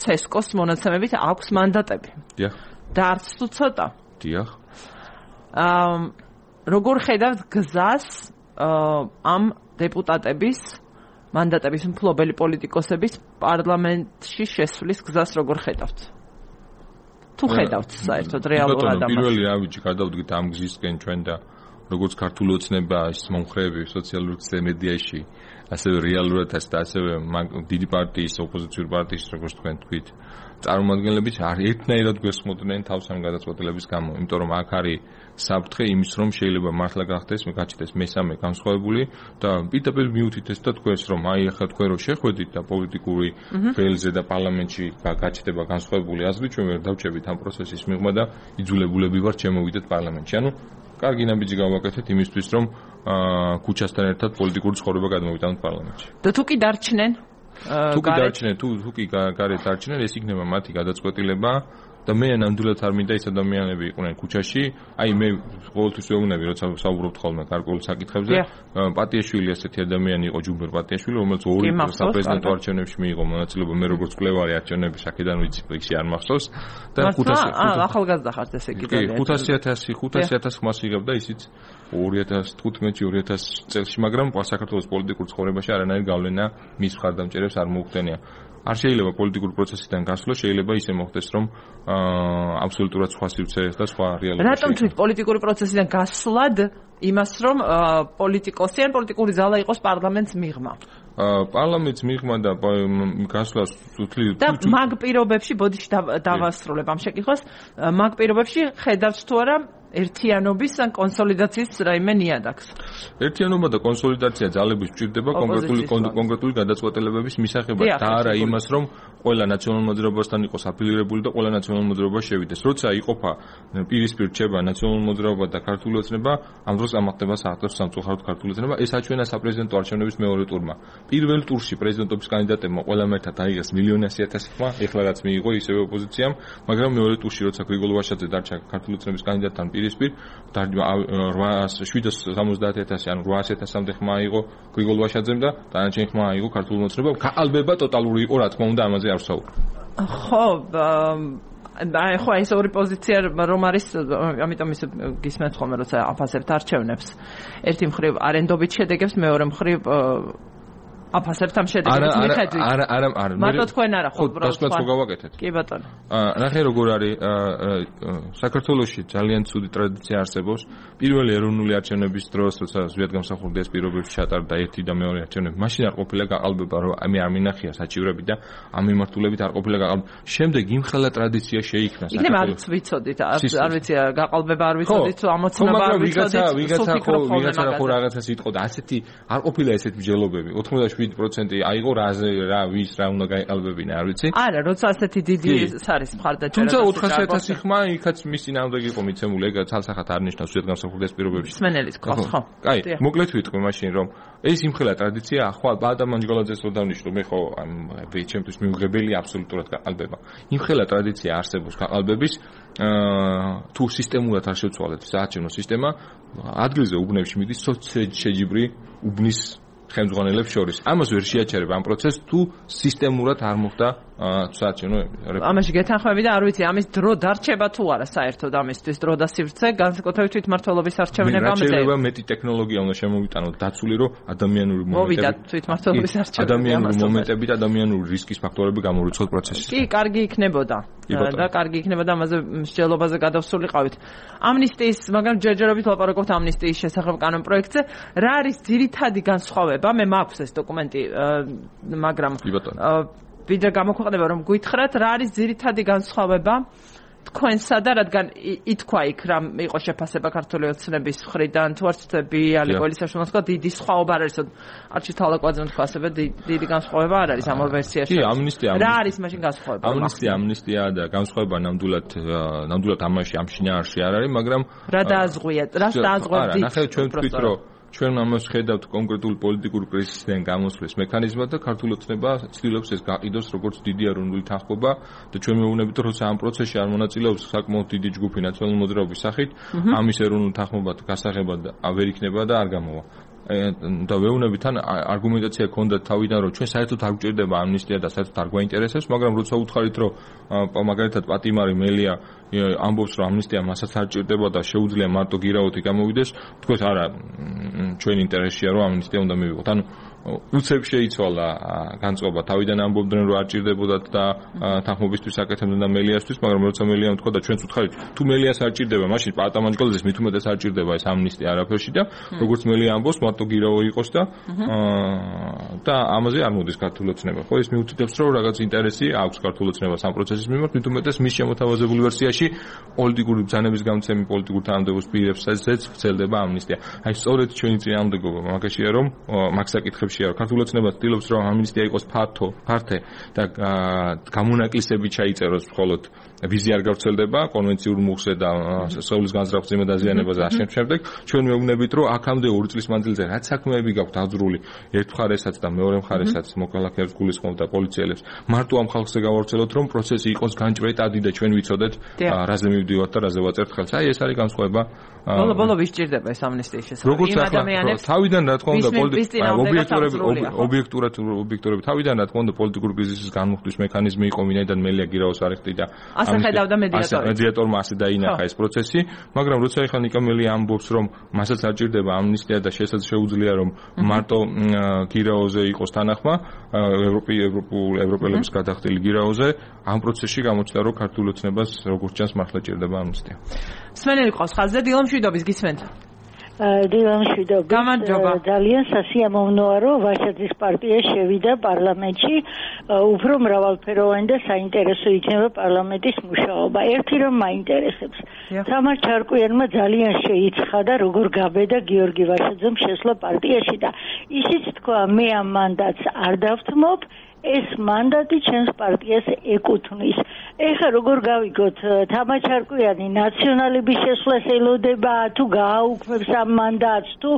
ცესკოს მონაცემებით აქვს მანდატები. დიახ. და არც თუ ცოტა. დიახ. აა როგორ ხედავთ გზას ამ დეპუტატების მანდატების მფლობელი პოლიტიკოსების პარლამენტში შესვლის გზას როგორ ხედავთ? თუ ხედავთ საერთოდ რეალურად ამას? პირველი ავიჯი გადავდგით ამ გზისკენ ჩვენ და როგორც ქართული ოცნება ის მომხრეები სოციალურ მედიაში ასევე რეალურად და ასევე დიდი პარტიის ოპოზიციური პარტიის როგორც თქვენ თქვით წარმომადგენლები არ ერთნაირად გვესმოდნენ თავს ამ გადაწყვეტილების გამო იმიტომ რომ აქ არის საფრთხე იმის რომ შეიძლება მართლა გახდეს მე გაჩნდეს მესამე განსხვავებული და პირდაპირ მიუთითეს და თქვენს რომ აი ახლა თქვენ რო შეხვედით და პოლიტიკური ველზე და პარლამენტში გაჩნდება განსხვავებული აზრი ჩვენ ვერ დავჭებით ამ პროცესის მიღმა და იძულებულები ვართ შემოვიდეთ პარლამენტში ანუ კარგი ნაბიჯი გავაკეთეთ იმისთვის რომ ქუჩასთან ერთად პოლიტიკური ცხოვრება გადმოვიტანოთ პარლამენტში. და თუ კი დარჩნენ? თუ კი დარჩნენ, თუ თუ კი გარეთ დარჩნენ, ეს იქნება მათი გადაწყვეტილება და მე ნამდვილად არ მინდა ის ადამიანები იყვნენ ქუჩაში. აი მე ყოველთვის ვეუბნები, როცა საუბრობთ ხოლმე გარკვეულ საკითხებზე, პატიაშვილი ასეთი ადამიანი იყო ჯუმბერ პატიაშვილი, რომელიც ორი საპრეზიდენტო არჩევნებში მიიღო მონაწილეობა, მე როგორც მკვლევარი არჩევნების აქედან ვიცი, ისე არ მახსოვს და ხუთასი ახალგაზრდა ხართ ესე იგი ძალიან. ხუთასი ათასი ხუთასი ათასი ხმას იღებდა ისიც ორი ათას თხუთმეტში ორი ათას წელს, მაგრამ საქართველოს პოლიტიკურ ცხოვრებაში არანაირი გავლენა მის მხარდამჭერებს არ მოუხდენია. არ შეიძლება პოლიტიკური პროცესიდან გასვლა, შეიძლება ისე მოხდეს, რომ აბსოლუტურად სხვა სივრცე და სხვა რეალობა. რატომ თქვით პოლიტიკური პროცესიდან გასვლად იმას, რომ პოლიტიკოსი ან პოლიტიკური ზალა იყოს პარლამენტს მიღმა? პარლამენტს მიღმა და გასვლა სუთლი და მაგ პირობებში ბოდიში დავასრულებ ამ შეკითხვას, მაგ პირობებში ხედავთ თუ არა ერთიანობის ან კონსოლიდაციის რაიმე ნიადაგს. ერთიანობა და კონსოლიდაცია ძალების სჭირდება კონკრეტული კონკრეტული გადაწყვეტილებების მისაღებად და არა იმას, რომ ყველა ნაციონალურ მოძრაობასთან იყოს აფილირებული და ყველა ნაციონალურ მოძრაობა შევიდეს. როცა იყოფა პირისპირ რჩება ნაციონალურ მოძრაობა და ქართული ოცნება, ამ დროს ამახდება საერთოდ სამწუხაროდ ქართული ოცნება. ეს აჩვენა საპრეზიდენტო არჩევნების მეორე ტურმა. პირველ ტურში პრეზიდენტობის კანდიდატებმა ყველამ ერთად აიღეს მილიონი ასი ათასი ხმა, ეხლა რაც მიიღო ისევე ოპოზიციამ, მაგრამ მეორე ტურში როცა გრიგოლ ვაშაძე დარჩა ქართული ოცნების კანდიდატთან პირისპირ შვიდას სამოცდაათი ათასი ან რვაასი ათასამდე ხმა აიღო გრიგოლ ვაშაძემ და დანარჩენი ხმა აიღო ქართული ოცნებამ. გაყალბება ტოტალური იყო, რა თქმა უნდა, ამაზე არ ვსაუბრობ. ხო, აი ხო ეს ორი პოზიცია რომ არის, ამიტომ ის გისმენთ ხოლმე როცა აფასებთ არჩევნებს. ერთი მხრივ არენდობით შედეგებს, მეორე მხრივ აფასებთ ამ შედეგებს მიხედვით. არა, არა, არა. მარტო თქვენ არა ხო უბრალოდ ხო გავაკეთეთ. კი ბატონო. აა ნახე როგორ არის საქართველოში ძალიან ცუდი ტრადიცია არსებობს. პირველი ეროვნული არჩევნების დროს, როცა ზვიადგამსახურდი ეს პირობებში ჩატარდა ერთი და მეორე არჩევნები, მაშინ არ ყოფილა გაყალბება, რომ ამი არ მინახია საჭივრები და ამ მიმართულებით არ ყოფილა გაყალბება. შემდეგ იმხელა ტრადიცია შეიქმნა საქართველოში. იქნება არც ვიცოდით, არ ვიცი გაყალბება არ ვიცოდით, ამოცნობა არ ვიცოდით. ვიღაცა ვიღაცა ხო ვიღაცა ხო რაღაცას იტყოდა. ასეთი არ ყოფილა ესეთი მსჯელობები. ოთხმოცდაშვიდი შვიდი პროცენტი აიღო რაზე რა ვის რა უნდა გაიყალბებინა არ ვიცი არა როცა ასეთი დიდი არის მხარდაჭერა თუმცა ოთხასი ათასი ხმა იქაც მის წინააღმდეგ იყო მიცემული ეგ ცალსახად არ ნიშნავს ზედ გამსახურდეს პირობებში სმენელის ყავს ხო კაი მოკლედ ვიტყვი მაშინ რომ ეს იმხელა ტრადიცია ახლა ბადამ ანჯგოლაძეს რო დავნიშნო მე ხო ჩემთვის მიუღებელი აბსოლუტურად გაყალბება იმხელა ტრადიცია არსებობს გაყალბების თუ სისტემურად არ შევცვალეთ საარჩევნო სისტემა ადგილზე უბნებში მიდის შეჯიბრი უბნის ხელმძღვანელებს შორის. ამას ვერ შეაჩერებ ამ პროცესს თუ სისტემურად არ მოხდა საარჩევნო რეფორმა. ამაში გეთანხმები და არ ვიცი ამის დრო დარჩება თუ არა საერთოდ ამისთვის დრო და სივრცე განსაკუთრებით თვითმმართველობის არჩევნებამდე. შეიძლება მეტი ტექნოლოგია უნდა შემოვიტანოთ დაცული რომ ადამიანური მომენტები თვითმმართველობის არჩევნები ადამიანური მომენტები და ადამიანური რისკის ფაქტორები გამორიცხოთ პროცესში. კი, კარგი იქნებოდა. და კარგი იქნებოდა ამაზე მსჯელობაზე გადავსულიყავით. ამნისტიის, მაგრამ ჯერჯერობით ვლაპარაკობთ ამნისტიის შესახებ კანონ პროექტზე. რა არის ძირითადი განსხვავება? მე მაქვს ეს დოკუმენტი, მაგრამ ვიდრე გამოქვეყნება რომ გითხრათ, რა არის ძირითადი განსხვავება თქვენსა და რადგან ითქვა იქ რა იყო შეფასება ქართული ოცნების მხრიდან თუ არ ვცდები ალეკოლის საშუალებას თქვა დიდი სხვაობა არ არის არჩილ თალაკვაძემ თქვა ასევე დიდი განსხვავება არ არის ამ ორ ვერსიაში კი ამნისტია რა არის მაშინ განსხვავება ამნისტია ამნისტია და განსხვავება ნამდვილად ნამდვილად ამაში ამ შინაარსში არ არის მაგრამ რა დააზღვია რას დააზღვევთ არა ნახე ჩვენ ვთქვით რომ ჩვენ ამას ხედავთ კონკრეტულ პოლიტიკურ კრიზისიდან გამოსვლის მექანიზმად და ქართული ოცნება ცდილობს ეს გაყიდოს როგორც დიდი ეროვნული თანხმობა და ჩვენ მეუბნებით რომ როცა ამ პროცესში არ მონაწილეობს საკმაოდ დიდი ჯგუფი ნაციონალური მოძრაობის სახით ამის ეროვნული თანხმობა გასაღებად ვერ იქნება და არ გამოვა და ვეუბნებით თან არგუმენტაცია ქონდა თავიდან რომ ჩვენ საერთოდ არ გვჭირდება ამნისტია და საერთოდ არ გვაინტერესებს მაგრამ როცა უთხარით რომ მაგალითად პატიმარი მელია ამბობს რომ ამნისტია მასაც არ ჭირდება და შეუძლია მარტო გირაოთი გამოვიდეს თქვენ არა ჩვენ ინტერესია რომ ამნისტია უნდა მივიღოთ ანუ უცებ შეიცვალა განწყობა თავიდან ამბობდნენ რომ არ ჭირდებოდათ და თანხმობისთვის აკეთებდნენ და მელიასთვის მაგრამ როცა მელიამ თქვა და ჩვენც უთხარით თუ მელიას არ ჭირდება მაშინ პატამანჯგალაძეს მით უმეტეს არ ჭირდება ეს ამნისტია არაფერში და როგორც მელია ამბობს მარტო გირაო იყოს და და ამაზე არ მოდის ქართული ოცნება ხო ეს მიუთითებს რომ რაღაც ინტერესი აქვს ქართული ოცნებას ამ პროცესის მიმართ მით უმეტეს მის შემოთავაზებულ ვერსიაში პოლიტიკური ბრძანების გამცემი პოლიტიკურ თანამდებობის პირებსაც ვრცელდება ამნისტია აი სწორედ ჩვენი წინააღმდეგობა მაგაშია რომ მაგ საკითხებში ქართული ოცნება ცდილობს რომ ამნისტია იყოს ფართო, ფართე და გამონაკლისებით ჩაიწეროს მხოლოდ ვიზი არ გავრცელდება კონვენციურ მუხზე და სხეულის განზრახვაზე და დაზიანებაზე ამ შემდეგ ჩვენ მეუბნებით რომ აქამდე ორი წლის მანძილზე რაც საქმეები გაქვთ აძრული ერთ მხარესაც და მეორე მხარესაც მოქალაქეებს გულისხმობ და პოლიციელებს მარტო ამ ხალხზე გავავრცელოთ რომ პროცესი იყოს განჭვრეტადი და ჩვენ ვიცოდეთ რაზე მივდივართ და რაზე ვაწერთ ხელს აი ეს არის განსხვავება ბოლო ბოლო ვის ჭირდება ეს ამნისტიის შესახებ იმ ადამიანებს თავიდან რა თქმა უნდა ობიექტურად ობიექტურად ობიექტურად თავიდან რა თქმა უნდა პოლიტიკური კრიზისის განმუხტვის მექანიზმი იყო ვინაიდან მელია გირაოს არიხტი და ასე ხედავდა მედიატორი მედიატორმა ასე დაინახა ეს პროცესი მაგრამ როცა ეხლა ნიკამელი ამბობს რომ მასაც არ ჭირდება ამნისტია და შეუძლია რომ მარტო გირაოზე იყოს თანახმა ევროპი ევროპულ ევროპელების გადახდილი გირაოზე ამ პროცესში გამოჩნდა რომ ქართული ოცნებას როგორც ჩანს მართლა ჭირდება ამნისტია სმენელი ყავს ხაზზე დილო მშვიდობის გისმენთ დილო მშვიდობის ძალიან სასიამოვნოა რომ ვაჟაძის პარტია შევიდა პარლამენტში უფრო მრავალფეროვანი და საინტერესო იქნება პარლამენტის მუშაობა ერთი რომ მაინტერესებს თამარ ჩარკვიანმა ძალიან შეიცხადა როგორ გაბედა გიორგი ვაჟაძემ შესვლა პარტიაში და ისიც თქვა მე ამ მანდატს არ დავთმობ ეს მანდატი ჩემს პარტიას ეკუთვნის. ეხლა როგორ გავიგოთ თამარ ჩარკვიანი ნაციონალების შესვლას ელოდება თუ გააუქმებს ამ მანდატს თუ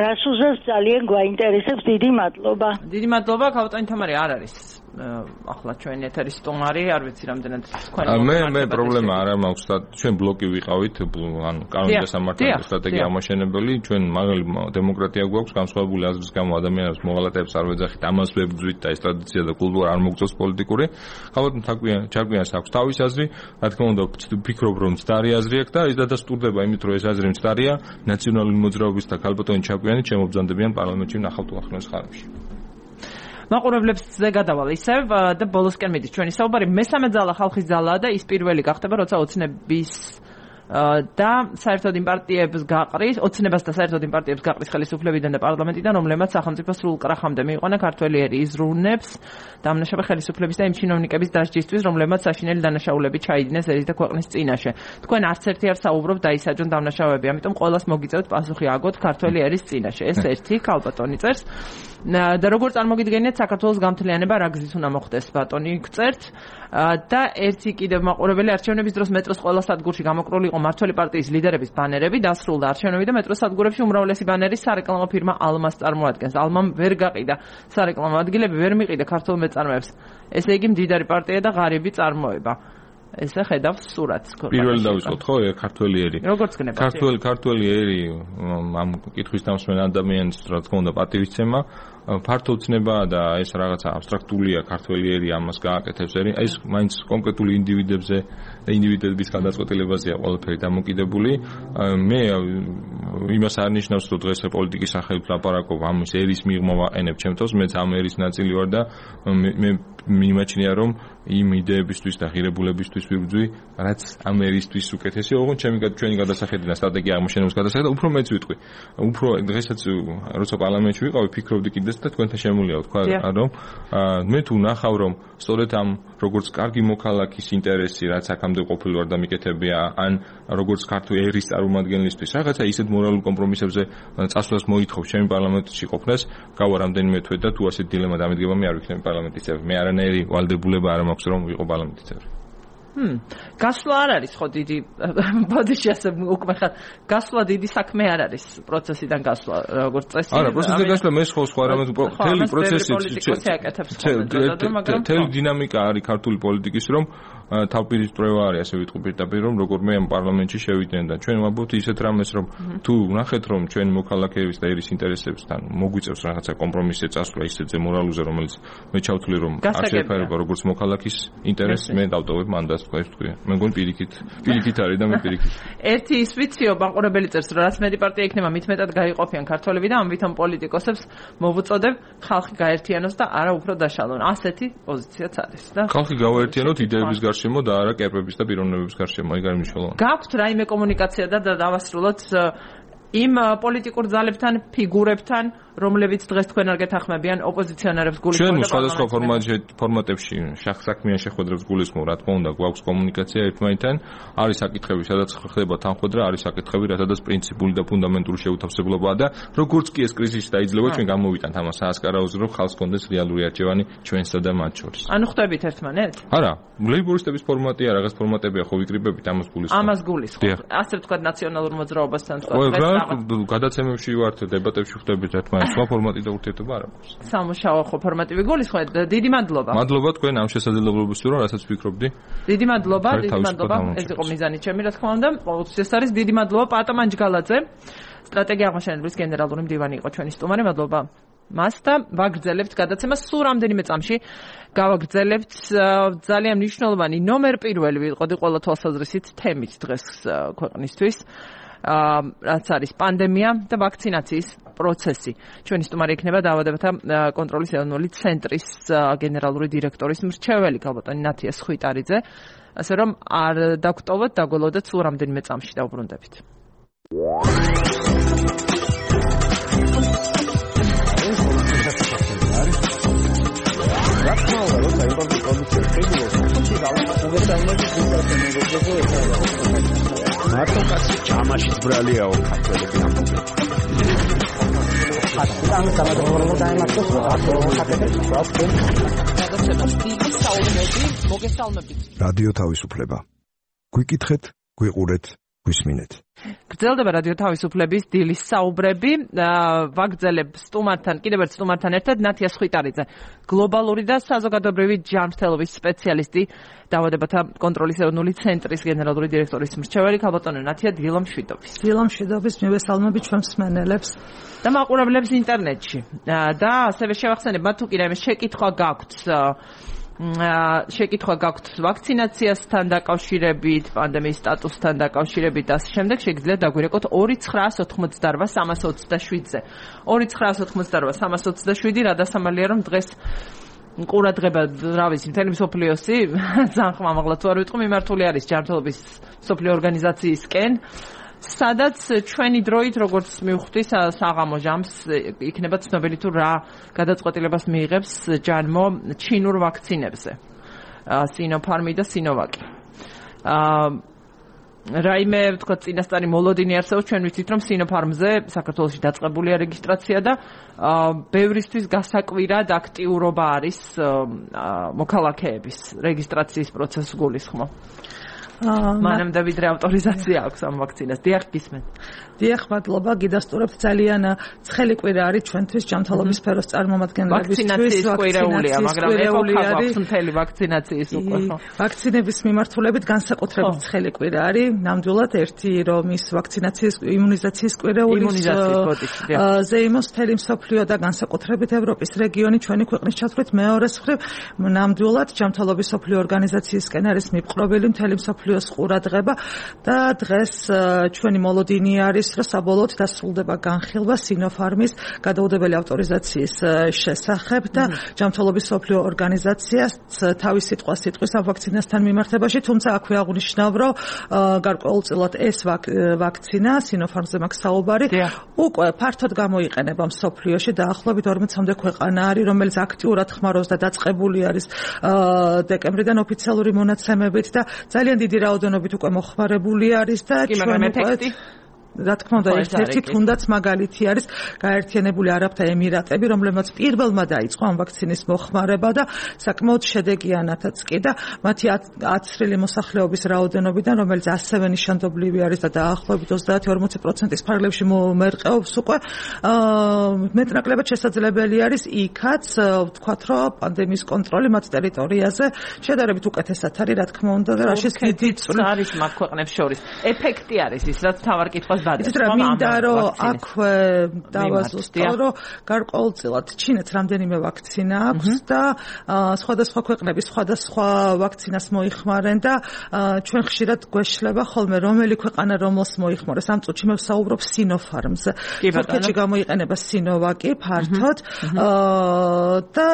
რას უზევს ძალიან გვაინტერესებს დიდი მადლობა. დიდი მადლობა ქავტანი თამარი არ არის ახლა ჩვენ ეთერის სტუმარი არ ვიცი რამდენად თქვენ მე მე პრობლემა არ მაქვს და ჩვენ ბლოკი ვიყავით ანუ კანონის სამართლის სტრატეგია ამაშენებელი ჩვენ მაგალი დემოკრატია გვაქვს განსხვავებული აზრის გამო ადამიანებს მოღალატეებს არ ვეძახით ამას ვებძვით და ეს ტრადიცია და კულტურა არ მოგწევს პოლიტიკური ხალხი ჩარკვიანს აქვს თავის აზრი რა თქმა უნდა ვფიქრობ რომ მცდარი აზრი აქვს და ეს დადასტურდება იმით რომ ეს აზრი მცდარია ნაციონალური მოძრაობის და ქალბატონი ჩარკვიანი შემობრძანდებიან პარლამენტში ნახავთ უახლოეს ხანებში მაყურებლებს ზე გადავალ ისევ და ბოლოსკენ მიდის ჩვენი საუბარი მესამე ძალა ხალხის ძალაა და ის პირველი გახდება როცა ოცნების და საერთოდ იმ პარტიებს გაყრის, ოცნებას და საერთოდ იმ პარტიებს გაყრის ხელისუფლებიდან და პარლამენტიდან, რომლებმაც სახელმწიფო სრულ კრახამდე მიიყვანა ქართველი ერი იზრუნებს დამნაშავე ხელისუფლების და იმ ჩინოვნიკების დასჯისთვის, რომლებმაც საშინელი დანაშაულები ჩაიდინეს ერის და ქვეყნის წინაშე. თქვენ არც ერთი არ საუბრობთ დაისაჯონ დამნაშავეები, ამიტომ ყოველას მოგიწევთ პასუხი აგოთ ქართველი ერის წინაშე. ეს ერთი ქალბატონი წერს. და როგორ წარმოგიდგენიათ საქართველოს გამთლიანება რა გზით უნდა მოხდეს ბატონი გწერთ და ერთი კიდევ მაყურებელი არჩევნების დროს მეტროს ყველა სადგურში გამოკრული იყო მართველი პარტიის ლიდერების ბანერები დასრულდა არჩევნები და მეტროს სადგურებში უმრავლესი ბანერი სარეკლამო ფირმა ალმას წარმოადგენს. ალმამ ვერ გაყიდა სარეკლამო ადგილები, ვერ მიყიდა ქართულ მეწარმეებს. ესე იგი მდიდარი პარტია და ღარიბი წარმოება. ესე ხედავს სურათს. პირველი დავიწყოთ ხო ქართველი ერი. როგორც გნებთ? ქართველი ქართველი ერი ამ კითხვის დამსმენ ადამიანს რა თქმა უნდა პატივისცემა ფართო ცნება და ეს რაღაცა აბსტრაქტულია ქართველი ერი ამას გააკეთებს ერი ეს მაინც კონკრეტული ინდივიდებზე და ინდივიდების გადაწყვეტილებაზეა ყველაფერი დამოკიდებული მე იმას არ ნიშნავს რომ დღეს პოლიტიკის სახელით ლაპარაკობ ამის ერის მიღმა ვაყენებ ჩემთვის მეც ამ ერის ნაწილი ვარ და მე მიმაჩნია რომ იმ იდეებისთვის და ღირებულებისთვის ვიბრძვი რაც ამ ერისთვის უკეთესია ოღონდ ჩემი ჩვენი გადასახედი და სტრატეგია აღმოჩენების გადასახედი უფრო მეც ვიტყვი უფრო დღესაც როცა პარლამენტში ვიყავი ფიქრობდი კიდე და თქვენთან შემულია თქვა რომ მე თუ ნახავ რომ სწორედ ამ როგორც კარგი მოქალაქის ინტერესი რაც აქამდე ყოფილი ვარ და მიკეთებია ან როგორც ქართული ერის წარმომადგენლისთვის რაღაცა ისეთ მორალურ კომპრომისებზე წასვლას მოითხოვს ჩემი პარლამენტში ყოფნას გავა რამდენიმე თვე და თუ ასეთ დილემა დამედგება მე არ ვიქნები პარლამენტის წევრი მე არანაირი ვალდებულება არ მაქვს რომ ვიყო პარლამენტის წევრი ჰმ გასვლა არ არის ხო დიდი ბოდიში ასე უკვე ხარ გასვლა დიდი საქმე არ არის პროცესიდან გასვლა როგორც წესი არა პროცესიდან გასვლა მე ხო სხვა რამე თელი პროცესი თელი დინამიკა არის ქართული პოლიტიკის რომ თავპირისპირება არის ასე ვიტყვი პირდაპირ რომ როგორ მე ამ პარლამენტში შევიდნენ და ჩვენ ვამბობთ ისეთ რამეს რომ თუ ნახეთ რომ ჩვენ მოქალაქეების და ერის ინტერესებთან მოგვიწევს რაღაცა კომპრომისზე წასვლა ისეთზე მორალურზე რომელიც მე ჩავთვლი რომ არ შეეფარება როგორც მოქალაქის ინტერესს მე დავტოვებ მანდატს თქვა ეს თქვია მე მგონი პირიქით პირიქით არის და მე პირიქით ერთი ის ვიციო მაყურებელი წერს რომ რაც მეტი პარტია იქნება მით მეტად გაიყოფიან ქართველები და ამიტომ პოლიტიკოსებს მოვუწოდებ ხალხი გაერთიანოს და არა უფრო დაშალონ ასეთი პოზიციაც არის და ხალხი გავაერთიანოთ იდეების გარშემო და არა კერპების და პიროვნებების გარშემო აი გარი მნიშვნელოვანი გაქვთ რაიმე კომუნიკაცია და დავასრულოთ იმ პოლიტიკურ ძალებთან ფიგურებთან რომლებიც დღეს თქვენ არ გეთანხმებიან ოპოზიციონერებს გულისხმობთ ჩვენ სხვადასხვა ფორმატში ფორმატებში შახსაქმიან შეხვედრებს გულისხმობ რა თქმა უნდა გვაქვს კომუნიკაცია ერთმანეთთან არის საკითხები სადაც ხდება თანხმედრა არის საკითხები რათაც პრინციპული და ფუნდამენტური შეუთავსებლობაა და როგორც კი ეს კრიზისი დაიძლება ჩვენ გამოვიტანთ ამას საასკარაოზე რომ ხალხს კონდეს რეალური არჩევანი ჩვენსა და მათ შორის ანუ ხვდებით ერთმანეთს არა ლეიბორისტების ფორმატია რაღაც ფორმატებია ხო ვიკრიბებით ამას გულისხმობ ამას გულისხმობ ასე ვთქვათ ნაციონალურ მოძრაობასთან სხვა გადაცემებში ვართ დებატებში ხვდებით ერთმანეთს სხვა ფორმატი და ურთიერთობა არ აქვს. სამუშაო ხო ფორმატი ვიგულისხმეთ. დიდი მადლობა. მადლობა თქვენ ამ შესაძლებლობისთვის რომ რასაც ვფიქრობდი. დიდი მადლობა, დიდი მადლობა. ეს იყო მიზანი ჩემი რა თქმა უნდა. ყოველთვის ეს არის დიდი მადლობა პატა მანჯგალაძე. სტრატეგია აღმაშენებლის გენერალური მდივანი იყო ჩვენი სტუმარი. მადლობა. მას და ვაგრძელებთ გადაცემას სულ რამდენიმე წამში. გავაგრძელებთ ძალიან მნიშვნელოვანი ნომერ პირველი ვიყოდი ყველა თვალსაზრისით თემით დღეს ქვეყნისთვის. რაც არის პანდემია და ვაქცინაციის პროცესი. ჩვენი სტუმარი იქნება დაავადებათა კონტროლის ეროვნული ცენტრის გენერალური დირექტორის მრჩეველი ქალბატონი ნათია სხვიტარიძე. ასე რომ არ დაგტოვოთ, დაგველოდეთ სულ რამდენიმე წამში დავბრუნდებით. მარტო კაცი ჯამაში ბრალიაო ქართველები ამბობენ. ამ გამადროულობა დაემართოს რადიო თავისუფლება. გვიკითხეთ, გვიყურეთ, გვისმინეთ. გრძელდება რადიო თავისუფლების დილის საუბრები. ვაგრძელებ სტუმართან, კიდევ ერთ სტუმართან ერთად ნათია სხვიტარიძე, გლობალური და საზოგადოებრივი ჯანმრთელობის სპეციალისტი, დაავადებათა კონტროლის ეროვნული ცენტრის გენერალური დირექტორის მრჩეველი ქალბატონი ნათია დილომშვიდობის. დილომშვიდობის მივესალმები ჩვენს მსმენელებს და მაყურებლებს ინტერნეტში. და ასევე შევახსენებ მათ თუ კიდევ შეკითხვა გაქვთ შეკითხვა გაქვთ ვაქცინაციასთან დაკავშირებით, პანდემიის სტატუსთან დაკავშირებით და შემდეგ შეგიძლიათ დაგვირეკოთ ორი ცხრაას ოთხმოცდაორვა სამას ოცდაშვიდზე. ორი ცხრაას ოთხმოცდაორვა სამას ოცდაშვიდი რა დასამალია რომ დღეს ყურადღება რა ვიცი მთელი მსოფლიოსი ძალიან ხმამაღლა თუ არ ვიტყვი მიმართული არის ჯანმრთელობის მსოფლიო ორგანიზაციისკენ სადაც ჩვენი დროით როგორც მივხვდი საღამო ჟამს იქნება ცნობილი თუ რა გადაწყვეტილებას მიიღებს ჯანმო ჩინურ ვაქცინებზე სინოფარმი და სინოვაკი რაიმე თქვა წინასწარი მოლოდინი არსებობს ჩვენ ვიცით რომ სინოფარმზე საქართველოში დაწყებულია რეგისტრაცია და ბევრისთვის გასაკვირად აქტიურობა არის მოქალაქეების რეგისტრაციის პროცესს გულისხმობ მანამდე ვიდრე ავტორიზაცია აქვს ამ ვაქცინას. დიახ, გისმენთ. დიახ, მადლობა. გიდასტურებთ ძალიან ცხელი კვირა არის ჩვენთვის ჯანმრთელობის სფეროს წარმომადგენლებისთვის. ვაქცინაციის კვირაულია, მაგრამ ეპოქა გვაქვს მთელი ვაქცინაციის უკვე. ვაქცინების მიმართულებით განსაკუთრებით ცხელი კვირა არის. ნამდვილად ერთი რომ ის ვაქცინაციის იმუნიზაციის კვირაულის ზეიმოს მთელი მსოფლიო და განსაკუთრებით ევროპის რეგიონი ჩვენი ქვეყნის ჩათვლით მეორეს მხრივ ნამდვილად ჯანმრთელობის მსოფლიო ორგანიზაციისკენ არის მიპყრობილი მთელი მსოფლიოს ყურადღება და დღეს ჩვენი მოლოდინი არის რომ საბოლოოდ დასრულდება განხილვა სინოფარმის გადაუდებელი ავტორიზაციის შესახებ და ჯანმრთელობის მსოფლიო ორგანიზაციას თავის სიტყვას სიტყვის ამ ვაქცინასთან მიმართებაში, თუმცა აქვე აღნიშნავ, რომ გარკვეულწილად ეს ვაქცინა სინოფარმზე მაქვს საუბარი უკვე ფართოდ გამოიყენება მსოფლიოში დაახლოებით ორმოცამდე ქვეყანა არის, რომელიც აქტიურად ხმარობს და დაწყებული არის დეკემბრიდან ოფიციალური მონაცემებით და ძალიან დიდი რაოდენობით უკვე მოხმარებული არის და ჩვენ უკვე რა თქმა უნდა ერთ-ერთი თუნდაც მაგალითი არის გაერთიანებული არაბთა ემირატები, რომლებმაც პირველმა დაიწყო ამ ვაქცინის მოხმარება და საკმაოდ შედეგიანათაც კი და მათი აცრილი მოსახლეობის რაოდენობიდან, რომელიც ასევე ნიშანდობლივი არის და დაახლოებით ოცდაათი ორმოცი პროცენტის ფარგლებში მომერყეობს უკვე მეტნაკლებად შესაძლებელი არის იქაც ვთქვათ, რომ პანდემიის კონტროლი მათ ტერიტორიაზე შედარებით უკეთესად არის, რა თქმა უნდა და რაშიც დიდი არის მაგ ქვეყნებს შორის. ეფექტი არის ის, რაც თავარ კითხვას იცით რა მინდა რომ აქვე დავაზუსტო რომ გარკვეულწილად ჩინეთს რამდენიმე ვაქცინა აქვს და სხვადასხვა ქვეყნების სხვადასხვა ვაქცინას მოიხმარენ და ჩვენ ხშირად გვეშლება ხოლმე რომელი ქვეყანა რომელს მოიხმარებს ამ წუთში მე ვსაუბრობ სინოფარმზე თურქეთში გამოიყენება სინოვაკი ფართოდ და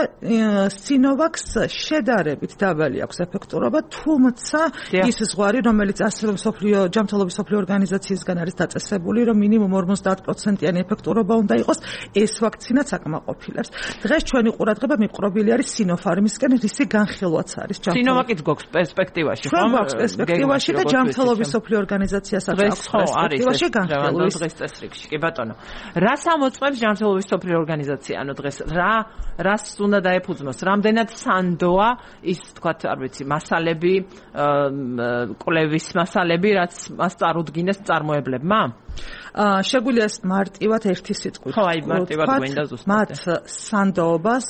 სინოვაკს შედარებით დაბალი აქვს ეფექტურობა თუმცა ის ზღვარი რომელიც ასევე მსოფლიო ჯანმრთელობის მსოფლიო ორგანიზაციისგან არის დაწესებული რომ მინიმუმ ორმოცდაათ პროცენტიანი ეფექტურობა უნდა იყოს ეს ვაქცინაც აკმაყოფილებს. დღეს ჩვენი ყურადღება მიპყრობილი არის სინოფარმისკენ, რისი განხილვაც არის ჯანმრთელობის. სინოვაკიც გვაქვს პერსპექტივაში, ხო? გვაქვს პერსპექტივაში და ჯანმრთელობის მსოფლიო ორგანიზაციასაც აქვს პერსპექტივაში განხილვის. დღეს წესრიგში, კი ბატონო. რას ამოწმებს ჯანმრთელობის მსოფლიო ორგანიზაცია? ანუ დღეს რა რას უნდა დაეფუძნოს? რამდენად სანდოა ის, თქვათ, არ ვიცი, მასალები, კვლევის მასალები, რაც მას წარუდგინეს წარმოებლებმა? შეგვიძლია მარტივად ერთი სიტყვით. ხო, აი მარტივად გვინდა ზუსტად. მათ სანდოობას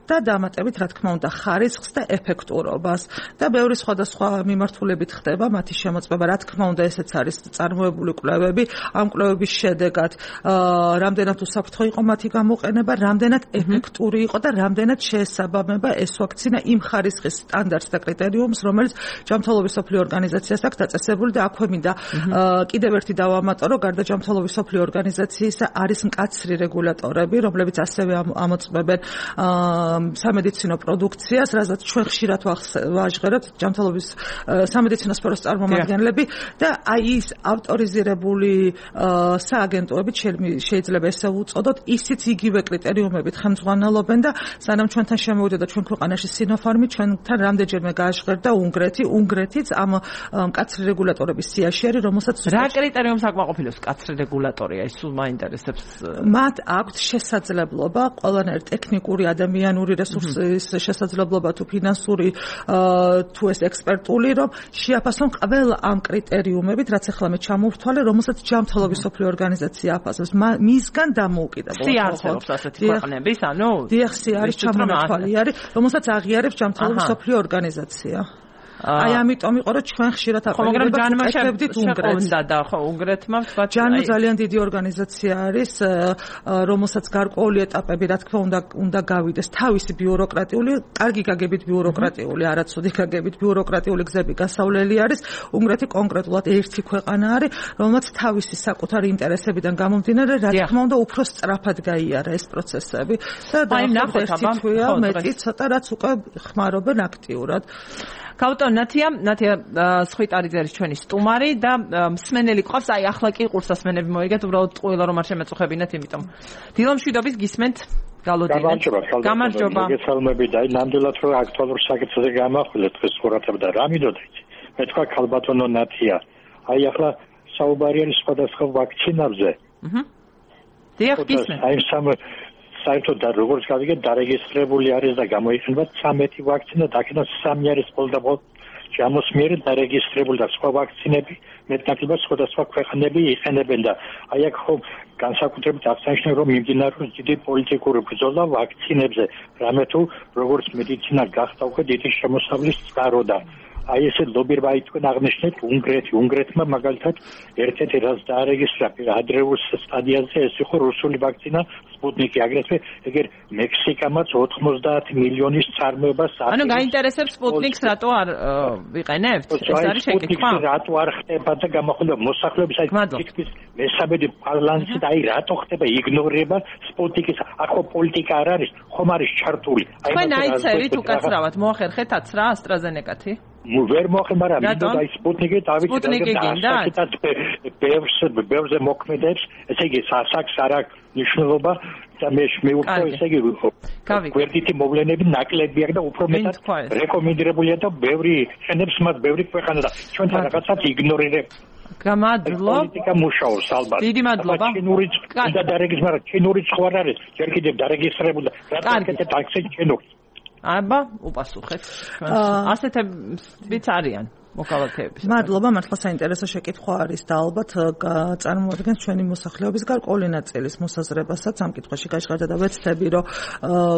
და დამატებით რა თქმა უნდა ხარისხს და ეფექტურობას და ბევრი სხვადასხვა მიმართულებით ხდება მათი შემოწმება. რა თქმა უნდა ესეც არის წარმოებული კვლევები. ამ კვლევების შედეგად რამდენად უსაფრთხო იყო მათი გამოყენება, რამდენად ეფექტური იყო და რამდენად შეესაბამება ეს ვაქცინა იმ ხარისხის სტანდარტს და კრიტერიუმს, რომელიც ჯანმრთელობის მსოფლიო ორგანიზაციას აქვს დაწესებული და აქვე მინდა კიდევ ერთი დავამატო, რომ გარდა ჯანმრთელობის მსოფლიო ორგანიზაციისა არის მკაცრი რეგულატორები, რომლებიც ასევე ამოწმებენ სამედიცინო პროდუქციას, რაზეც ჩვენ ხშირად ვაჟღერებთ ჯანმრთელობის სამედიცინო სფეროს წარმომადგენლები და აი ის ავტორიზირებული სააგენტოები შეიძლება ესე უწოდოთ, ისიც იგივე კრიტერიუმებით ხელმძღვანელობენ და სანამ ჩვენთან შემოვიდა და ჩვენ ქვეყანაში სინოფარმი, ჩვენთან რამდენჯერმე გააჟღერდა უნგრეთი, უნგრეთიც ამ მკაცრი რეგულატორების სიაში არის, რომელსაც რა კრიტერიუმს აკმაყოფილებს მკაცრი რეგულატორია, ის სულ მაინტერესებს. მათ აქვთ შესაძლებლობა ყველანაირ ტექნიკური ადამიანური რესურსის შესაძლებლობა თუ ფინანსური თუ ეს ექსპერტული რომ შეაფასონ ყველა ამ კრიტერიუმებით, რაც ახლა მე ჩამოვთვალე, რომელსაც ჯანმრთელობის მსოფლიო ორგანიზაცია აფასებს. მისგან დამოუკიდებლად. სიარსებობს ასეთი ქვეყნების, ანუ დიახ, არის ჩამონათვალი არის, რომელსაც აღიარებს ჯანმრთელობის მსოფლიო ორგანიზაცია. აი ამიტომ იყო რომ ჩვენ ხშირად აპელირებდით უნგრეთს და ხო უნგრეთმა თქვა ჯანმო ძალიან დიდი ორგანიზაცია არის რომელსაც გარკვეული ეტაპები რა თქმა უნდა უნდა გავიდეს თავისი ბიუროკრატიული კარგი გაგებით ბიუროკრატიული არაცუდი გაგებით ბიუროკრატიული გზები გასავლელი არის უნგრეთი კონკრეტულად ერთი ქვეყანა არის რომელსაც თავისი საკუთარი ინტერესებიდან გამომდინარე რა თქმა უნდა უფრო სწრაფად გაიარა ეს პროცესები და დაახლოებით ერთი თვეა მეტი ცოტა რაც უკვე ხმარობენ აქტიურად გავუტო ნათია ნათია სხვითარიძე არის ჩვენი სტუმარი და მსმენელი ყავს აი ახლა კი ყურსასმენები მოიგეთ უბრალოდ ყველა რომ არ შემეწუხებინათ იმიტომ დილომშვიდობის გისმენთ გალოდინეთ გამარჯობა მოგესალმები და აი ნამდვილად რომ აქტუალურ საკითხზე გამახვილეთ დღეს ყურადღება და რა მინდოდით მე თქვა ქალბატონო ნათია აი ახლა საუბარი არის სხვადასხვა ვაქცინებზე აჰა დიახ გისმენთ აი სამ საერთოდ და როგორც გავიგეთ დარეგისტრირებული არის და გამოიყენება ცამეტი ვაქცინა და აქედან სამი არის პოლდაბოლ ჯამოსმიერი დარეგისტრირებული და სხვა ვაქცინები მეტნაკლებად სხვადასხვა ქვეყნები იყენებენ და აი აქ ხო განსაკუთრებით აღსანიშნავია რომ მიმდინარეობს დიდი პოლიტიკური ბრძოლა ვაქცინებზე რამე თუ როგორც მედიცინა გახდა უკვე დიდი შემოსავლის წყარო და აი ესე ლობირება თქვენ აღნიშნეთ უნგრეთი უნგრეთმა მაგალითად ერთ-ერთი რაც დაარეგისტრირა ადრეულ სტადიაზე ეს იყო რუსული ვაქცინა სპუტნიკი აგრეთვე ეგერ მექსიკამაც ოცდაათი მილიონის წარმოებას ანუ გაინტერესებს სპუტნიკს რატო არ ვიყენებთ ეს არის შეკითხვა რატო არ ხდება და გამახვილება მოსახლეობის აი თითქმის მესამედი პარლამენტი და აი რატო ხდება იგნორება სპუტნიკის ახო პოლიტიკა არ არის ხომ არის ჩართული აი თქვენ აიცერით უკაცრავად მოახერხეთ აცრა ასტრაზენეკათი ვერ მოხდა მაგრამ მინდოდა ის სპუტნიკი დავიქნა და ბევრს ბევრზე მოქმედებს ესე იგი სასაქს არ აქვს ნიშნულობა და მე მეუქო ესე იგი გვერდითი მოვლენები ნაკლები აქვს და უფრო მეტად რეკომენდირებულია და ბევრი შენებს მათ ბევრი ქვეყანა და ჩვენთან რაღაცას იგნორირებს გამადლო პოლიტიკა მუშაობს ალბათ დიდი მადლობა ჩინური და დარეგისტრირებული ჩინური სხვა არის ჯერ კიდევ დარეგისტრირებული და რატომ ტაქსი ჩინური აბა უპასუხეთ ასეთებიც არიან მოკალათეების. მადლობა, მართლა საინტერესო შეკითხვა არის და ალბათ წარმოადგენს ჩვენი მოსახლეობის გარკვეული ნაწილის მოსაზრებასაც ამ კითხვაში გაჟღერდა და ვეცდები რომ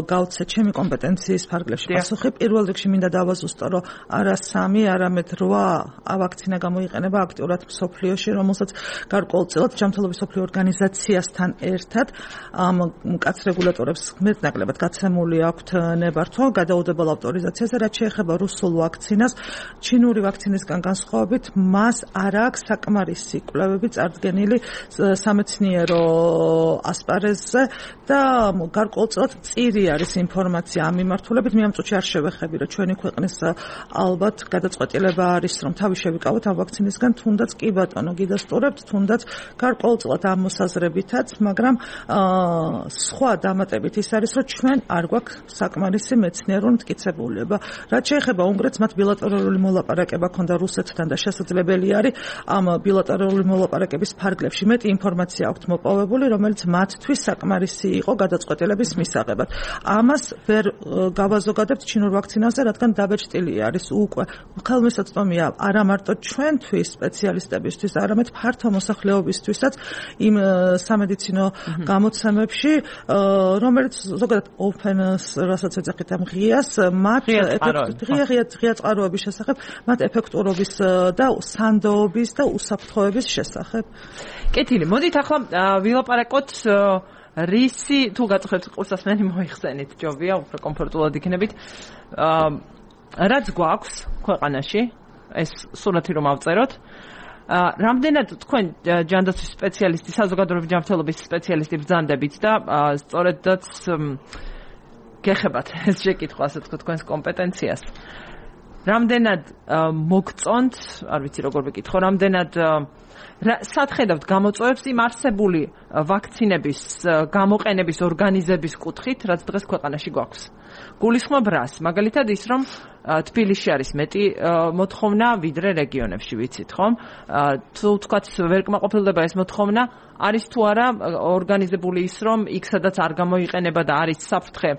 გავცე ჩემი კომპეტენციის ფარგლებში პასუხი. პირველ რიგში მინდა დავაზუსტო რომ არა სამი, არამედ რვა ავაქცინა გამოიყენება აქტიურად მსოფლიოში, რომელსაც გარკვეულწილად ჯანმრთელობის მსოფლიო ორგანიზაციასთან ერთად ამ მკაც რეგულატორებს მეტნაკლებად გაცემული აქვთ ნებართვა გადაუდებელ ავტორიზაციაზე, რაც შეეხება რუსულ ვაქცინას, ჩინური ვაქცინისგან განსხვავებით, მას არ აქვს საკმარისი კვლევები წარდგენილი სამეცნიერო ასპარეზზე და გარკვეულწილად მწირი არის ინფორმაცია ამ მიმართულებით. მე ამ წუთში არ შევეხები, რომ ჩვენი ქვეყნის ალბათ გადაწყვეტილება არის, რომ თავი შევიკავოთ ამ ვაქცინისგან, თუნდაც კი ბატონო გიდასტურებთ, თუნდაც გარკვეულწილად ამ მოსაზრებითაც, მაგრამ სხვა დამატებით ის არის, რომ ჩვენ არ გვაქვს საკმარისი მეცნიერული მტკიცებულება. რაც შეეხება უნგრეთს, მათ ბილატერალური მოლაპარაკება ქონდა რუსეთთან და შესაძლებელი არის ამ ბილატერალური მოლაპარაკების ფარგლებში მეტი ინფორმაცია აქვთ მოპოვებული, რომელიც მათთვის საკმარისი იყო გადაწყვეტილების მისაღებად. ამას ვერ გავაზოგადებთ ჩინურ ვაქცინაზე, რადგან დაბეჭდილი არის უკვე ხელმისაწვდომია არა მარტო ჩვენთვის სპეციალისტებისთვის, არამედ ფართო მოსახლეობისთვისაც იმ სამედიცინო გამოცემებში, რომელიც ზოგადად open-ს, რასაც ეძახით ამ ღიას, მათ ღია ღია წყაროების შესახებ, მათ ეფექტურობის და სანდოობის და უსაფრთხოების შესახებ. კეთილი, მოდით ახლა ვილაპარაკოთ რისი თუ გაწუხებთ ყურსასმენი მოიხსენით, ჯობია, უფრო კომფორტულად იქნებით. რაც გვაქვს ქვეყანაში, ეს სურათი რომ ავწეროთ. რამდენად თქვენ ჯანდაცვის სპეციალისტი, საზოგადოებრივი ჯანმრთელობის სპეციალისტი ბრძანდებით და სწორედაც გეხებათ ეს შეკითხვა, ასე თქვა თქვენს კომპეტენციას. რამდენად მოგწონთ, არ ვიცი როგორ ვიკითხო, რამდენად სათხედავთ გამოწვევებს იმ არსებული ვაქცინების გამოყენების ორგანიზების კუთხით, რაც დღეს ქვეყანაში გვაქვს. გულისხმობ რას? მაგალითად ის, რომ თბილისში არის მეტი მოთხოვნა ვიდრე რეგიონებში, ვიცით ხომ? თუ თქვათ ვერ კმაყოფილდება ეს მოთხოვნა, არის თუ არა ორგანიზებული ის, რომ იქ სადაც არ გამოიყენება და არის საფრთხე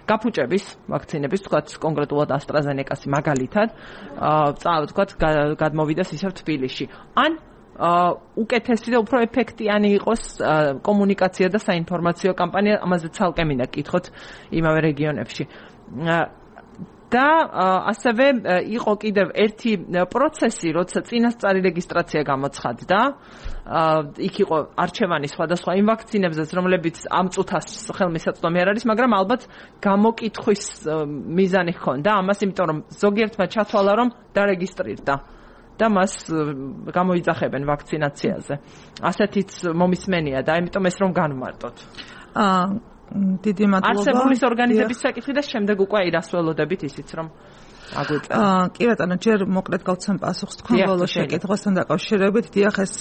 გაფუჭების ვაქცინების, თქვათ კონკრეტულად AstraZeneca-ს მაგალითად, აა თქვათ გადმოვიდეს ისევ თბილისში. ან უკეთესი და უფრო ეფექტიანი იყოს კომუნიკაცია და საინფორმაციო კამპანია, ამაზე ცალკე მინდა კითხოთ იმავე რეგიონებში. და ასევე იყო კიდევ ერთი პროცესი, როცა წინასწარი რეგისტრაცია გამოცხადდა. იქ იყო არჩევანი სხვადასხვა იმ ვაქცინებზეც, რომლებიც ამ წუთას ხელმისაწვდომი არ არის, მაგრამ ალბათ გამოკითხვის მიზანი ჰქონდა ამას, იმიტომ რომ ზოგიერთმა ჩათვალა, რომ დარეგისტრირდა და მას გამოიძახებენ ვაქცინაციაზე. ასეთიც მომისმენია და ამიტომ ეს რომ განვმარტოთ. აა დიდი მადლობა. არსებობის ორგანიზების საკითხი და შემდეგ უკვე ირასველოდებით ისიც რომ აგვიწევთ. აა კი ბატონო, ჯერ მოკლედ გავცემ პასუხს თქვენ ბოლოს შეკითხვასთან დაკავშირებით. დიახ, ეს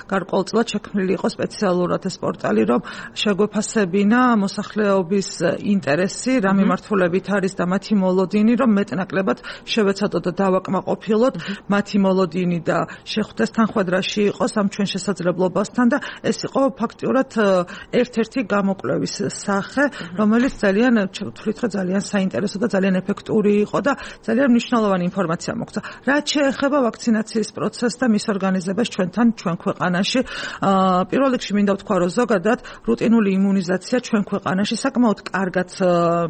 გარკვეულწილად შექმნილი იყო სპეციალურად ეს პორტალი, რომ შეგვეფასებინა მოსახლეობის ინტერესი, რა მიმართულებით არის და მათი მოლოდინი, რომ მეტნაკლებად შევეცადოთ და დავაკმაყოფილოთ მათი მოლოდინი და შეხვდეს თანხმედრაში იყოს ამ ჩვენ შესაძლებლობასთან და ეს იყო ფაქტიურად ერთ-ერთი გამოკვლევის სახე, რომელიც ძალიან ვთვლით, რომ ძალიან საინტერესო და ძალიან ეფექტური იყო და ძალიან მნიშვნელოვანი ინფორმაცია მოგცა. რაც შეეხება ვაქცინაციის პროცესს და მის ორგანიზებას ჩვენთან, ჩვენ ქვეყანაში, პირველ რიგში მინდა ვთქვა, რომ ზოგადად რუტინული იმუნიზაცია ჩვენ ქვეყანაში საკმაოდ კარგად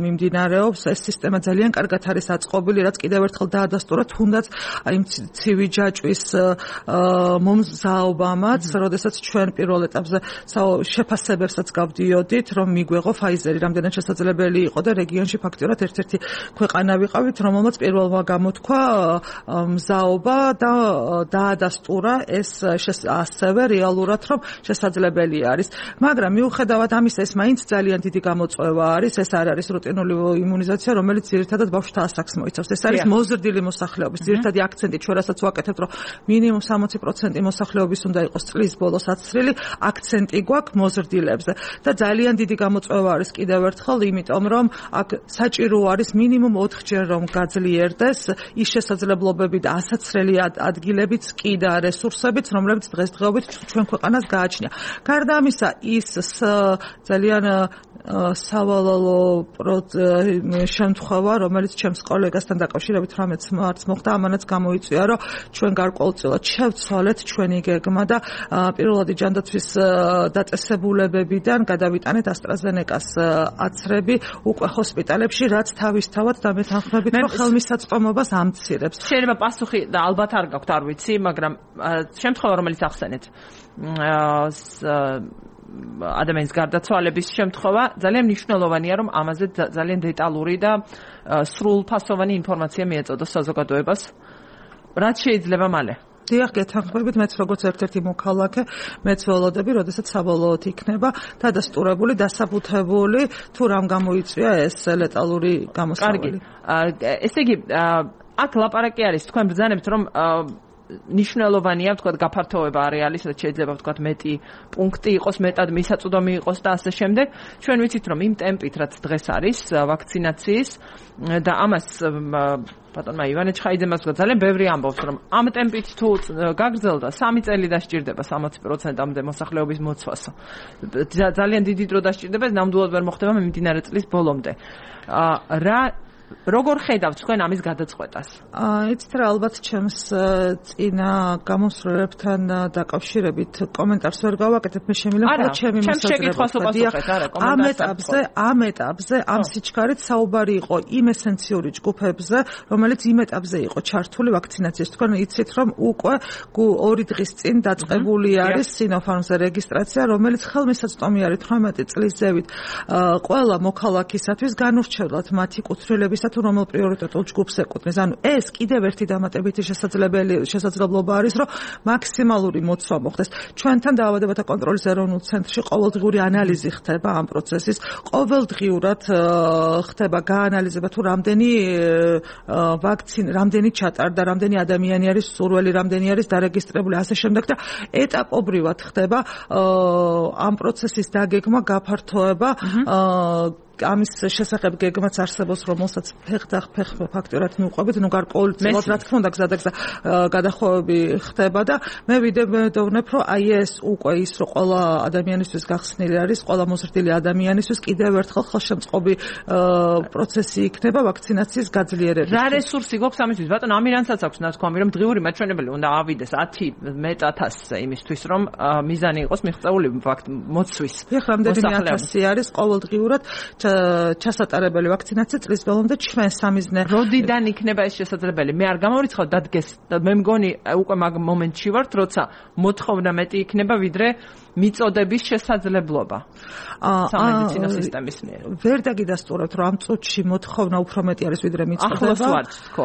მიმდინარეობს. ეს სისტემა ძალიან კარგად არის აწყობილი, რაც კიდევ ერთხელ დაადასტურა თუნდაც აი ცივი ჯაჭვის მომზაობამაც, როდესაც ჩვენ პირველ ეტაპზე შეფასებებსაც გავდიოდით, რომ მიგვეღო ფაიზერი, რამდენად შესაძლებელი იყო და რეგიონში ფაქტიურად ერთ-ერთი ქვეყანა ვიყავით, რომელმაც პირველმა გამოთქვა მზაობა და დაადასტურა ეს ასევე რეალურად, რომ შესაძლებელი არის. მაგრამ მიუხედავად ამისა, ეს მაინც ძალიან დიდი გამოწვევა არის. ეს არ არის რუტინული იმუნიზაცია, რომელიც ძირითადად ბავშვთა ასაკს მოიცავს. ეს არის მოზრდილი მოსახლეობის ძირითადი აქცენტი, ჩვენ რასაც ვაკეთებთ, რომ მინიმუმ სამოცი პროცენტი მოსახლეობის უნდა იყოს წლის ბოლოს აცრილი, აქცენტი გვაქვს მოზრდილებზე. და ძალიან დიდი გამოწვევა არის კიდევ ერთხელ, იმიტომ რომ აქ საჭირო არის მინიმუმ ოთხჯერ რომ გაძლიერდეს ის შესაძლებლობები და ასაცრელი ადგილებიც კი და რესურსებიც, რომლებიც დღესდღეობით ჩვენ ქვეყანას გააჩნია. გარდა ამისა, ის ძალიან სავალალო შემთხვევა, რომელიც ჩემს კოლეგასთან დაკავშირებით რამეც მარტს მოხდა, ამანაც გამოიწვია, რომ ჩვენ გარკვეულწილად შევცვალეთ ჩვენი გეგმა და პირველადი ჯანდაცვის დაწესებულებებიდან გადავიტანეთ AstraZeneca-ს აცრები უკვე ჰოსპიტალებში, რაც თავისთავად დამეთანხმებით, რომ ხელმისაწვდომობას ამცირებს. შეიძლება პასუხი და ალბათ არ გაქვთ, არ ვიცი, მაგრამ შემთხვევა, რომელიც ახსენეთ, ადამიანის გარდაცვალების შემთხვევა, ძალიან მნიშვნელოვანია, რომ ამაზე ძალიან დეტალური და სრულფასოვანი ინფორმაცია მიეწოდოს საზოგადოებას, რაც შეიძლება მალე. დიახ, გეთანხმებით, მეც როგორც ერთ-ერთი მოქალაქე, მეც ველოდები, როდესაც საბოლოოდ იქნება დადასტურებული, დასაბუთებული, თუ რამ გამოიწვია ეს ლეტალური გამოსავალი. კარგი. ესე იგი, აქ ლაპარაკი არის, თქვენ ბრძანებთ, რომ ნიშნულოვანია, ვთქვათ, გაფართოვება არეალის, რაც შეიძლება ვთქვათ, მეტი პუნქტი იყოს, მეტად მისაწვდომი იყოს და ასე შემდეგ. ჩვენ ვიცით, რომ იმ ტემპით, რაც დღეს არის ვაქცინაციის და ამას ბატონმა ივანე ჩხაიძემას ვთქვა, ძალიან ბევრი ამბობს, რომ ამ ტემპით თუ გაგრძელდა, სამი წელი დასჭირდება სამოცი პროცენტამდე მოსახლეობის მოცვას. ძალიან დიდი დრო დასჭირდება, ნამდვილად ვერ მოხდება მიმდინარე წლის ბოლომდე. რა როგორ ხედავთ თქვენ ამის გადაწყვეტას? აა იცით რა, ალბათ ჩემს წინა გამოსვლებთან დაკავშირებით კომენტარს ვერ გავაკეთებ, მე შემიძლია მხოლოდ ჩემი მოსაზრება. ამ ეტაპზე, ამ ეტაპზე, ამ სიჩქარით საუბარი იყო იმ ესენციური ჯგუფებზე, რომელიც იმ ეტაპზე იყო ჩართული ვაქცინაციის. თქვენ იცით, რომ უკვე ორი დღის წინ დაწყებული არის Sinopharm-ზე რეგისტრაცია, რომელიც ხელმისაწვდომი არის თვრამეტი წლის ზევით ყველა მოქალაქისათვის განურჩევლად მათი კუთვნილების თუ რომელ პრიორიტეტულ ჯგუფს ეკუთვნის. ანუ ეს კიდევ ერთი დამატებითი შესაძლებელი შესაძლებლობა არის, რომ მაქსიმალური მოცვა მოხდეს. ჩვენთან დაავადებათა კონტროლის ეროვნულ ცენტრში ყოველდღიური ანალიზი ხდება ამ პროცესის. ყოველდღიურად ხდება გაანალიზება თუ რამდენი ვაქცინა, რამდენი ჩატარდა, რამდენი ადამიანი არის სურველი, რამდენი არის დარეგისტრირებული, ასე შემდეგ და ეტაპობრივად ხდება ამ პროცესის დაგეგმა, გაფართოება, ამის შესახებ გეგმაც არსებობს, რომელსაც ფეხდახ ფეხ ფაქტურად მიუყვებით, ნუ გარკვეულწილად რა თქმა უნდა გზადაგზა გადახოვები ხდება და მე ვიდევნებ, რომ აი ეს უკვე ის, რომ ყველა ადამიანისთვის გახსნილი არის, ყველა მოზრდილი ადამიანისთვის კიდევ ერთხელ ხელშემწყობი პროცესი იქნება ვაქცინაციის გაძლიერებით. რა რესურსი გვაქვს ამისთვის? ბატონო, ამირანსაც აქვს ნათქვამი, რომ დღიური მაჩვენებელი უნდა ავიდეს ათი მეტ ათასზე იმისთვის, რომ მიზანი იყოს მიღწეული მოცვის. ეხლა რამდენიმე ათასი არის ყოველდღიურად. ჩასატარებელი ვაქცინაცია წლის ბოლომდე ჩვენ სამიზნე. როდიდან იქნება ეს შესაძლებელი? მე არ გამორიცხავ დადგეს. მე მგონი უკვე მაგ მომენტში ვართ, როცა მოთხოვნა მეტი იქნება ვიდრე მიწოდების შესაძლებლობა. სამედიცინო სისტემის მიერ. ვერ დაგიდასტურებთ, რომ ამ წუთში მოთხოვნა უფრო მეტი არის ვიდრე მიწოდება. ახლოს ვართ, თქო.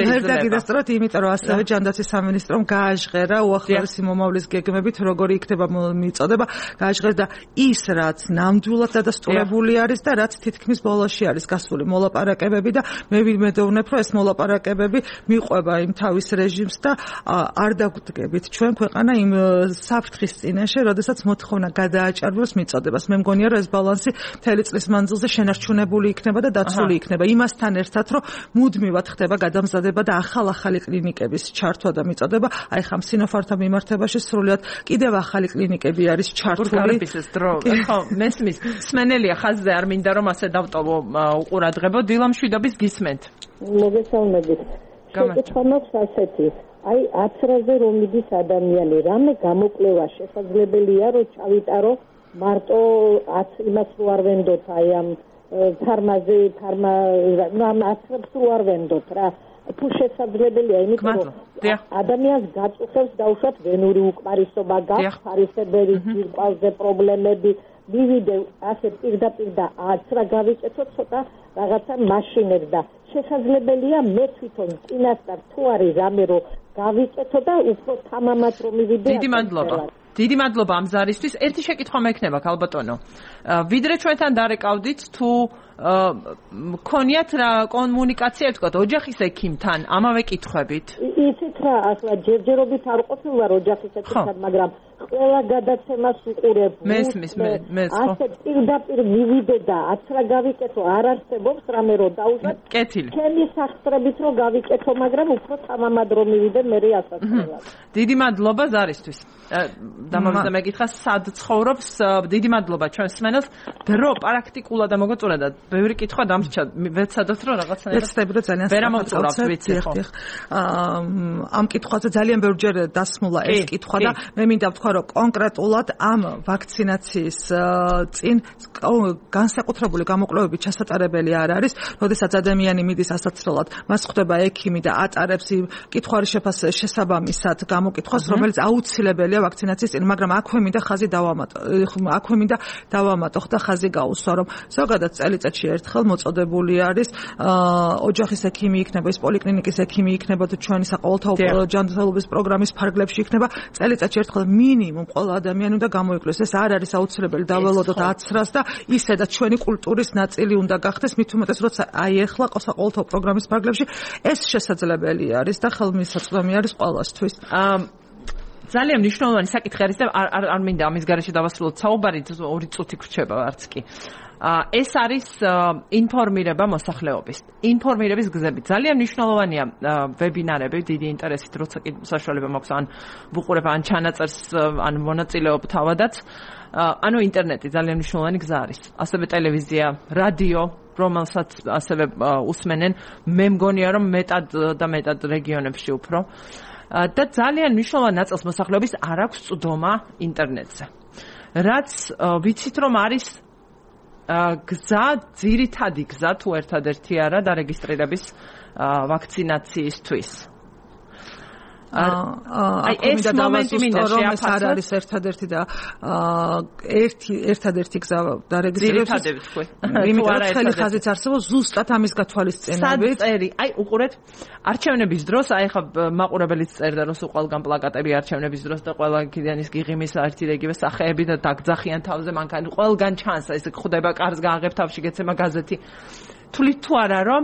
ვერ დაგიდასტურებთ, იმიტომ რომ ასევე ჯანდაცვის სამინისტრომ გააჟღერა უახლოესი მომავლის გეგმებით, როგორი იქნება მიწოდება, გააჟღერა და ის რაც ნამდვილად დადასტურებული არის და რაც თითქმის ბოლოში არის გასული მოლაპარაკებები და მე ვიმედოვნებ, რომ ეს მოლაპარაკებები მიყვება იმ თავის რეჟიმს და არ დაგვდგებით ჩვენ ქვეყანა იმ საფრთხის წინაშე, როდესაც მოთხოვნა გადააჭარბოს მიწოდებას. მე მგონია, რომ ეს ბალანსი მთელი წლის მანძილზე შენარჩუნებული იქნება და დაცული იქნება. იმასთან ერთად, რომ მუდმივად ხდება გადამზადება და ახალ-ახალი კლინიკების ჩართვა და მიწოდება, აი ხამ სინოფართან მიმართებაში სრულიად კიდევ ახალი კლინიკები არის ჩართული. ხო, მესმის. სმენელია ხაზზე არ მინდა რომ ასე დავტოვო უყურადღებო. დილამ შვიდობის გისმენთ. მოგესალმებით. შეკითხვა მაქვს ასეთი. აი აცრაზე რომ მიდის ადამიანი, რამე გამოკვლევა შესაძლებელია, რომ ჩავიტარო მარტო იმას რო არ ვენდოთ, აი ამ ფარმაზე, ფარმა, ნუ ამ აცრებს რო არ ვენდოთ რა. თუ შესაძლებელია, იმიტომ რომ ადამიანს გაწუხებს დაუშვათ ვენური უკმარისობა, გაფარისებელი ძირკვალზე პრობლემები, მივიდე ასე პირდაპირ და აცრა გავიკეთო ცოტა რაღაცა მაშინებს და შესაძლებელია მე თვითონ წინასწარ თუ არის რამე რომ გავიკეთო და უფრო თამამად რომ მივიდე. დიდი მადლობა. დიდი მადლობა ამ ზარისთვის. ერთი შეკითხვა მექნება, ქალბატონო. ვიდრე ჩვენთან დარეკავდით თუ მქონიათ რა კომუნიკაცია, თქვათ, ოჯახის ექიმთან ამავე კითხვებით? იცით რა, ახლა ჯერჯერობით არ ყოფილა ოჯახის ექიმთან, მაგრამ ყველა გადაცემას უყურებ. მესმის, მე, მე ხო. ასე პირდაპირ მივიდე და აცრა გავიკეთო, არ არსებობს რამე რომ დაუშვათ. კეთილი. ჩემი სახსრებით რომ გავიკეთო, მაგრამ უფრო თამამად რომ მივიდე მე ასაცრელად. დიდი მადლობა ზარისთვის. დამავიწყე მეკითხა, სად ცხოვრობს? დიდი მადლობა ჩვენ სმენელს. დრო პრაქტიკულად და მოგოწურა და ბევრი კითხვა დამრჩა. ვეცადოთ რომ რაღაცნაირად ვეცდები რომ ძალიან ვერ ამოვწურავთ, ვიცი ხო. ამ კითხვაზე ძალიან ბევრჯერ დასმულა ეს კითხვა და მე მინდა ვთქვა, რომ კონკრეტულად ამ ვაქცინაციის წინ განსაკუთრებული გამოკვლევები ჩასატარებელი არ არის, როდესაც ადამიანი მიდის ასაცრელად, მას ხვდება ექიმი და ატარებს იმ კითხვის შესაბამისად გამოკითხვას, რომელიც აუცილებელია ვაქცინაციის წინ, მაგრამ აქვე მინდა ხაზი დავამატო, აქვე მინდა დავამატო და ხაზი გაუსვა, რომ ზოგადად წელიწადში ერთხელ მოწოდებული არის ოჯახის ექიმი იქნება, ის პოლიკლინიკის ექიმი იქნება თუ ჩვენი საყოველთაო ჯანმრთელობის პროგრამის ფარგლებში იქნება, წელიწადში ერთხელ მინიმუმ ყველა ადამიანი უნდა გამოიკვლიოს. ეს არ არის აუცილებელი დაველოდოთ აცრას და ისედაც ჩვენი კულტურის ნაწილი უნდა გახდეს, მით უმეტეს როცა აი ეხლა საყოველთაო პროგრამის ფარგლებში ეს შესაძლებელი არის და ხელმისაწვდომი არის ყველასთვის. ძალიან მნიშვნელოვანი საკითხი არის და არ არ მინდა ამის გარეშე დავასრულოთ საუბარი, ორი წუთი გრჩება არც კი. ეს არის ინფორმირება მოსახლეობის. ინფორმირების გზები ძალიან მნიშვნელოვანია ვებინარები, დიდი ინტერესით, როცა კი საშუალება მაქვს ან ვუყურებ ან ჩანაწერს ან მონაწილეობ თავადაც. ანუ ინტერნეტი ძალიან მნიშვნელოვანი გზა არის. ასევე ტელევიზია, რადიო, რომელსაც ასევე უსმენენ, მე მგონია რომ მეტად და მეტად რეგიონებში უფრო. და ძალიან მნიშვნელოვანი ნაწილს მოსახლეობის არ აქვს წვდომა ინტერნეტზე. რაც ვიცით რომ არის გზა, ძირითადი გზა თუ ერთადერთი არა დარეგისტრირების ვაქცინაციისთვის. აი ეს მომენტი მინდა შეაფასოთ, არ არის ერთადერთი და ერთი ერთადერთი გზა დარეგისტრირების. იმიტომ რომ ხელი ხაზიც არსებობს ზუსტად ამის გათვალისწინებით. საწერი, აი უყურეთ, არჩევნების დროს, აი ხა მაყურებელიც წერდა რომ სულ ყველგან პლაკატები არჩევნების დროს და ყველა კიდენის გიღიმის ერთი და იგივე სახეები და დაგძახიან თავზე მანქანა, ყველგან ჩანს ეს ხდება კარს გააღებ თავში გეცემა გაზეთი. თulit თუ არა რომ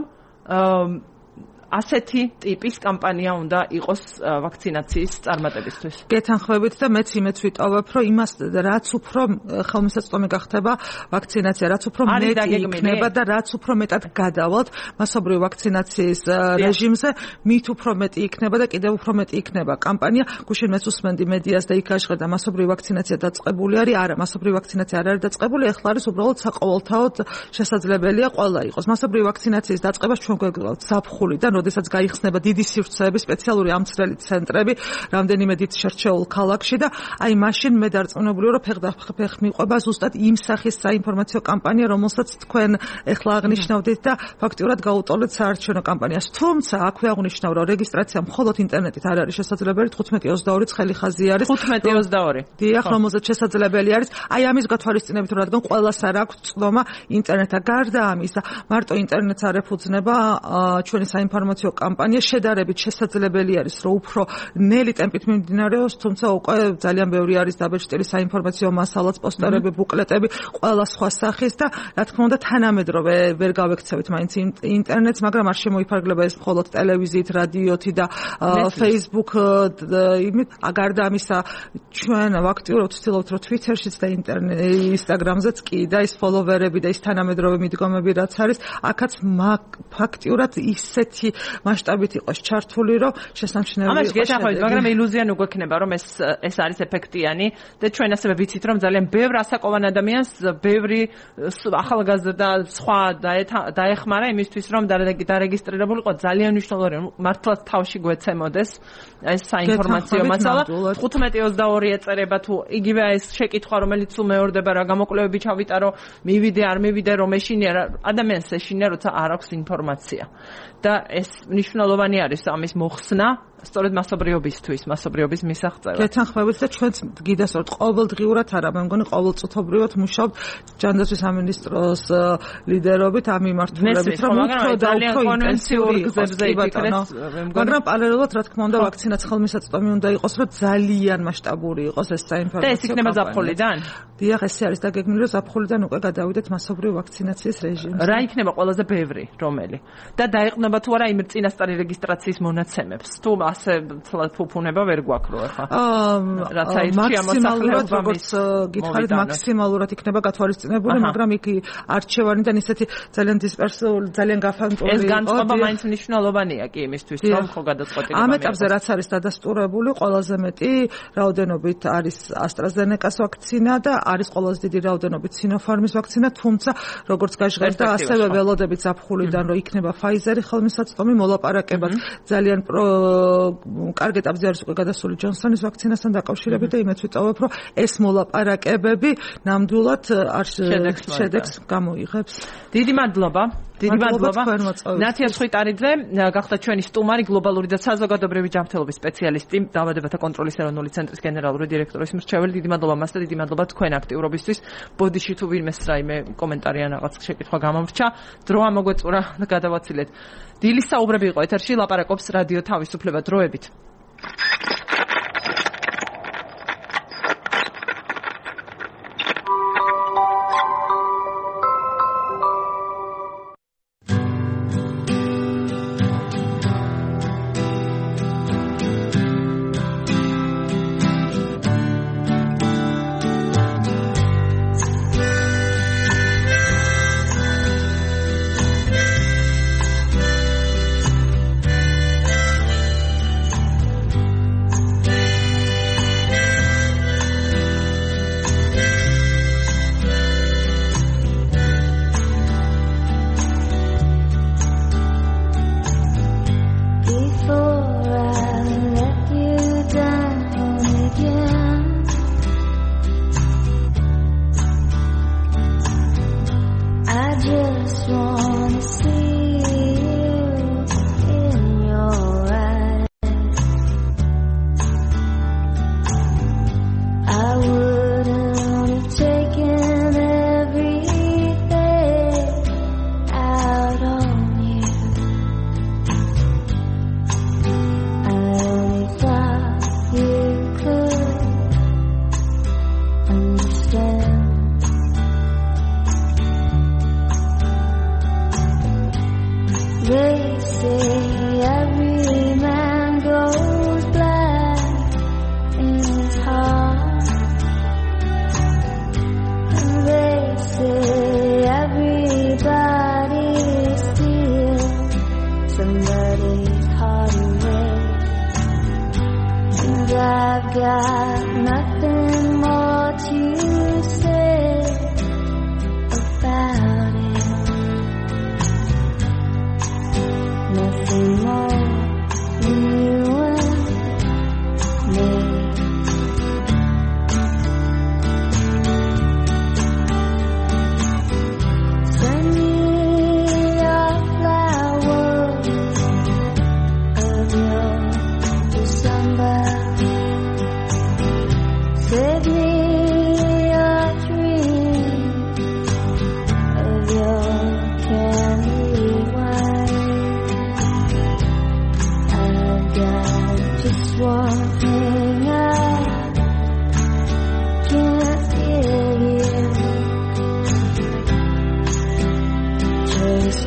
ასეთი ტიპის კამპანია უნდა იყოს ვაქცინაციის წარმატებისთვის. გეთანხმებით და მეც იმეც ვიტოვებ, რომ იმას რაც უფრო ხელმისაწვდომი გახდება ვაქცინაცია, რაც უფრო მეტი იქნება და რაც უფრო მეტად გადავალთ მასობრივ ვაქცინაციის რეჟიმზე, მით უფრო მეტი იქნება და კიდევ უფრო მეტი იქნება კამპანია. გუშინ მეც უსმენდი მედიას და იქ აშღერდა მასობრივ ვაქცინაცია დაწყებული არის, არა, მასობრივ ვაქცინაცია არ არის დაწყებული, ეხლა არის უბრალოდ საყოველთაოდ შესაძლებელია ყველა იყოს. მასობრივ ვაქცინაციის დაწყებას ჩვენ გვეგვალთ ზაფხულიდან, როდესაც გაიხსნება დიდი სივრცეები, სპეციალური ამცრელი ცენტრები, რამდენიმე დიდ შერჩეულ ქალაქში და აი მაშინ მე დარწმუნებული ვარ, რომ ფეხდაფეხ მიყვება ზუსტად იმ სახის საინფორმაციო კამპანია, რომელსაც თქვენ ეხლა აღნიშნავდით და ფაქტიურად გაუტოლეთ საარჩევნო კამპანიას. თუმცა აქვე აღნიშნავ, რომ რეგისტრაცია მხოლოდ ინტერნეტით არ არის შესაძლებელი, თხუთმეტი ოცდაორი ცხელი ხაზი არის. თხუთმეტი ოცდაორი. დიახ, რომელზეც შესაძლებელი არის. აი ამის გათვალისწინებით, რომ რადგან ყველას არ აქვს წვდომა ინტერნეტა. გარდა ამისა, მარტო ინტერნეტს არ ეფუძნება ჩვენი საინფორმაციო კამპანია, შედარებით შესაძლებელი არის, რომ უფრო ნელი ტემპით მიმდინარეობს, თუმცა უკვე ძალიან ბევრი არის დაბეჭდილი საინფორმაციო მასალაც, პოსტერები, ბუკლეტები, ყველა სხვა სახის და რა თქმა უნდა თანამედროვე ვერ გავექცევით მაინც ინტერნეტს, მაგრამ არ შემოიფარგლება ეს მხოლოდ ტელევიზიით, რადიოთი და Facebook იმით. გარდა ამისა, ჩვენ აქტიურად ვცდილობთ, რომ Twitter-შიც და Instagram-ზეც კი და ის ფოლოვერები და ის თანამედროვე მიდგომები რაც არის, აქაც ფაქტიურად ისეთი მასშტაბით იყოს ჩართული, რომ შესამჩნეველი ამაში გეთახმებით, მაგრამ ილუზია ნუ გვექნება, რომ ეს ეს არის ეფექტიანი და ჩვენ ასევე ვიცით, რომ ძალიან ბევრ ასაკოვან ადამიანს, ბევრი ახალგაზრდა სხვა დაეხმარა იმისთვის, რომ დარეგისტრირებულიყო. ძალიან მნიშვნელოვანია, მართლაც თავში გვეცემოდეს ეს საინფორმაციო მასალა. თხუთმეტი ოცდაორი ეწერება თუ იგივე ეს შეკითხვა, რომელიც თუ მეორდება რა გამოკვლევები ჩავიტარო, მივიდე არ მივიდე, რომ ეშინია ადამიანს ეშინია, როცა არ აქვს ინფორმაცია. და ეს მნიშვნელოვანი არის ამის მოხსნა. სწორედ მასობრიობისთვის, მასობრიობის მისაღწევად. გეთანხმებით და ჩვენც გიდასწორთ ყოველდღიურად არა, მე მგონი ყოველწუთობრივად მუშაობთ ჯანდაცვის სამინისტროს ლიდერობით ამ მიმართულებით, რომ უფრო და უფრო ინტენსიური გზებზე იფიქრეთ, მაგრამ პარალელურად რა თქმა უნდა ვაქცინაც ხელმისაწვდომი უნდა იყოს, რომ ძალიან მასშტაბური იყოს ეს საინფორმაციო. და ეს იქნება ზაფხულიდან? დიახ, ეს არის დაგეგმილი, რომ ზაფხულიდან უკვე გადავიდეთ მასობრივ ვაქცინაციის რეჟიმზე. რა იქნება ყველაზე ბევრი, რომელი? და დაეყრდნობა თუ არა იმ წინასწარი რეგისტრაციის მონაცემებს? თუ ასე თლად ფუფუნება ვერ გვაქვს რო ახლა. რაც აირჩია მოსახლეობა მის გითხარით მაქსიმალურად იქნება გათვალისწინებული, მაგრამ იქ არჩევანიდან ისეთი ძალიან დისპერსიული, ძალიან გაფანტული ეს განწყობა მაინც მნიშვნელოვანია კი იმისთვის, რომ ხო გადაწყვეტილება. ამ ეტაპზე რაც არის დადასტურებული, ყველაზე მეტი რაოდენობით არის AstraZeneca-s ვაქცინა და არის ყველაზე დიდი რაოდენობით Sinopharm-ის ვაქცინა, თუმცა როგორც გაჟღერდა, ასევე ველოდებით ზაფხულიდან რომ იქნება Pfizer-ი ხელმისაწვდომი მოლაპარაკებად ძალიან კარგ ეტაპზე არის უკვე გადასული ჯონსონის ვაქცინასთან დაკავშირებით და იმეც ვიტოვებ, რომ ეს მოლაპარაკებები ნამდვილად არ შედეგს გამოიღებს. დიდი მადლობა. დიდი მადლობა. ნათია სხიტარიძე გახდა ჩვენი სტუმარი, გლობალური და საზოგადოებრივი ჯანმრთელობის სპეციალისტი, დაავადებათა კონტროლის ეროვნული ცენტრის გენერალური დირექტორის მრჩეველი. დიდი მადლობა მას და დიდი მადლობა თქვენ აქტიურობისთვის. ბოდიში თუ ვინმეს რაიმე კომენტარი ან რაღაც შეკითხვა გამომრჩა, დრო ამოგვეწურა და გადავაცილეთ. დილის საუბრები იყო ეთერში, ლაპარაკობს რადიო თავისუფლება. დროებით.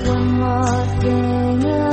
one more thing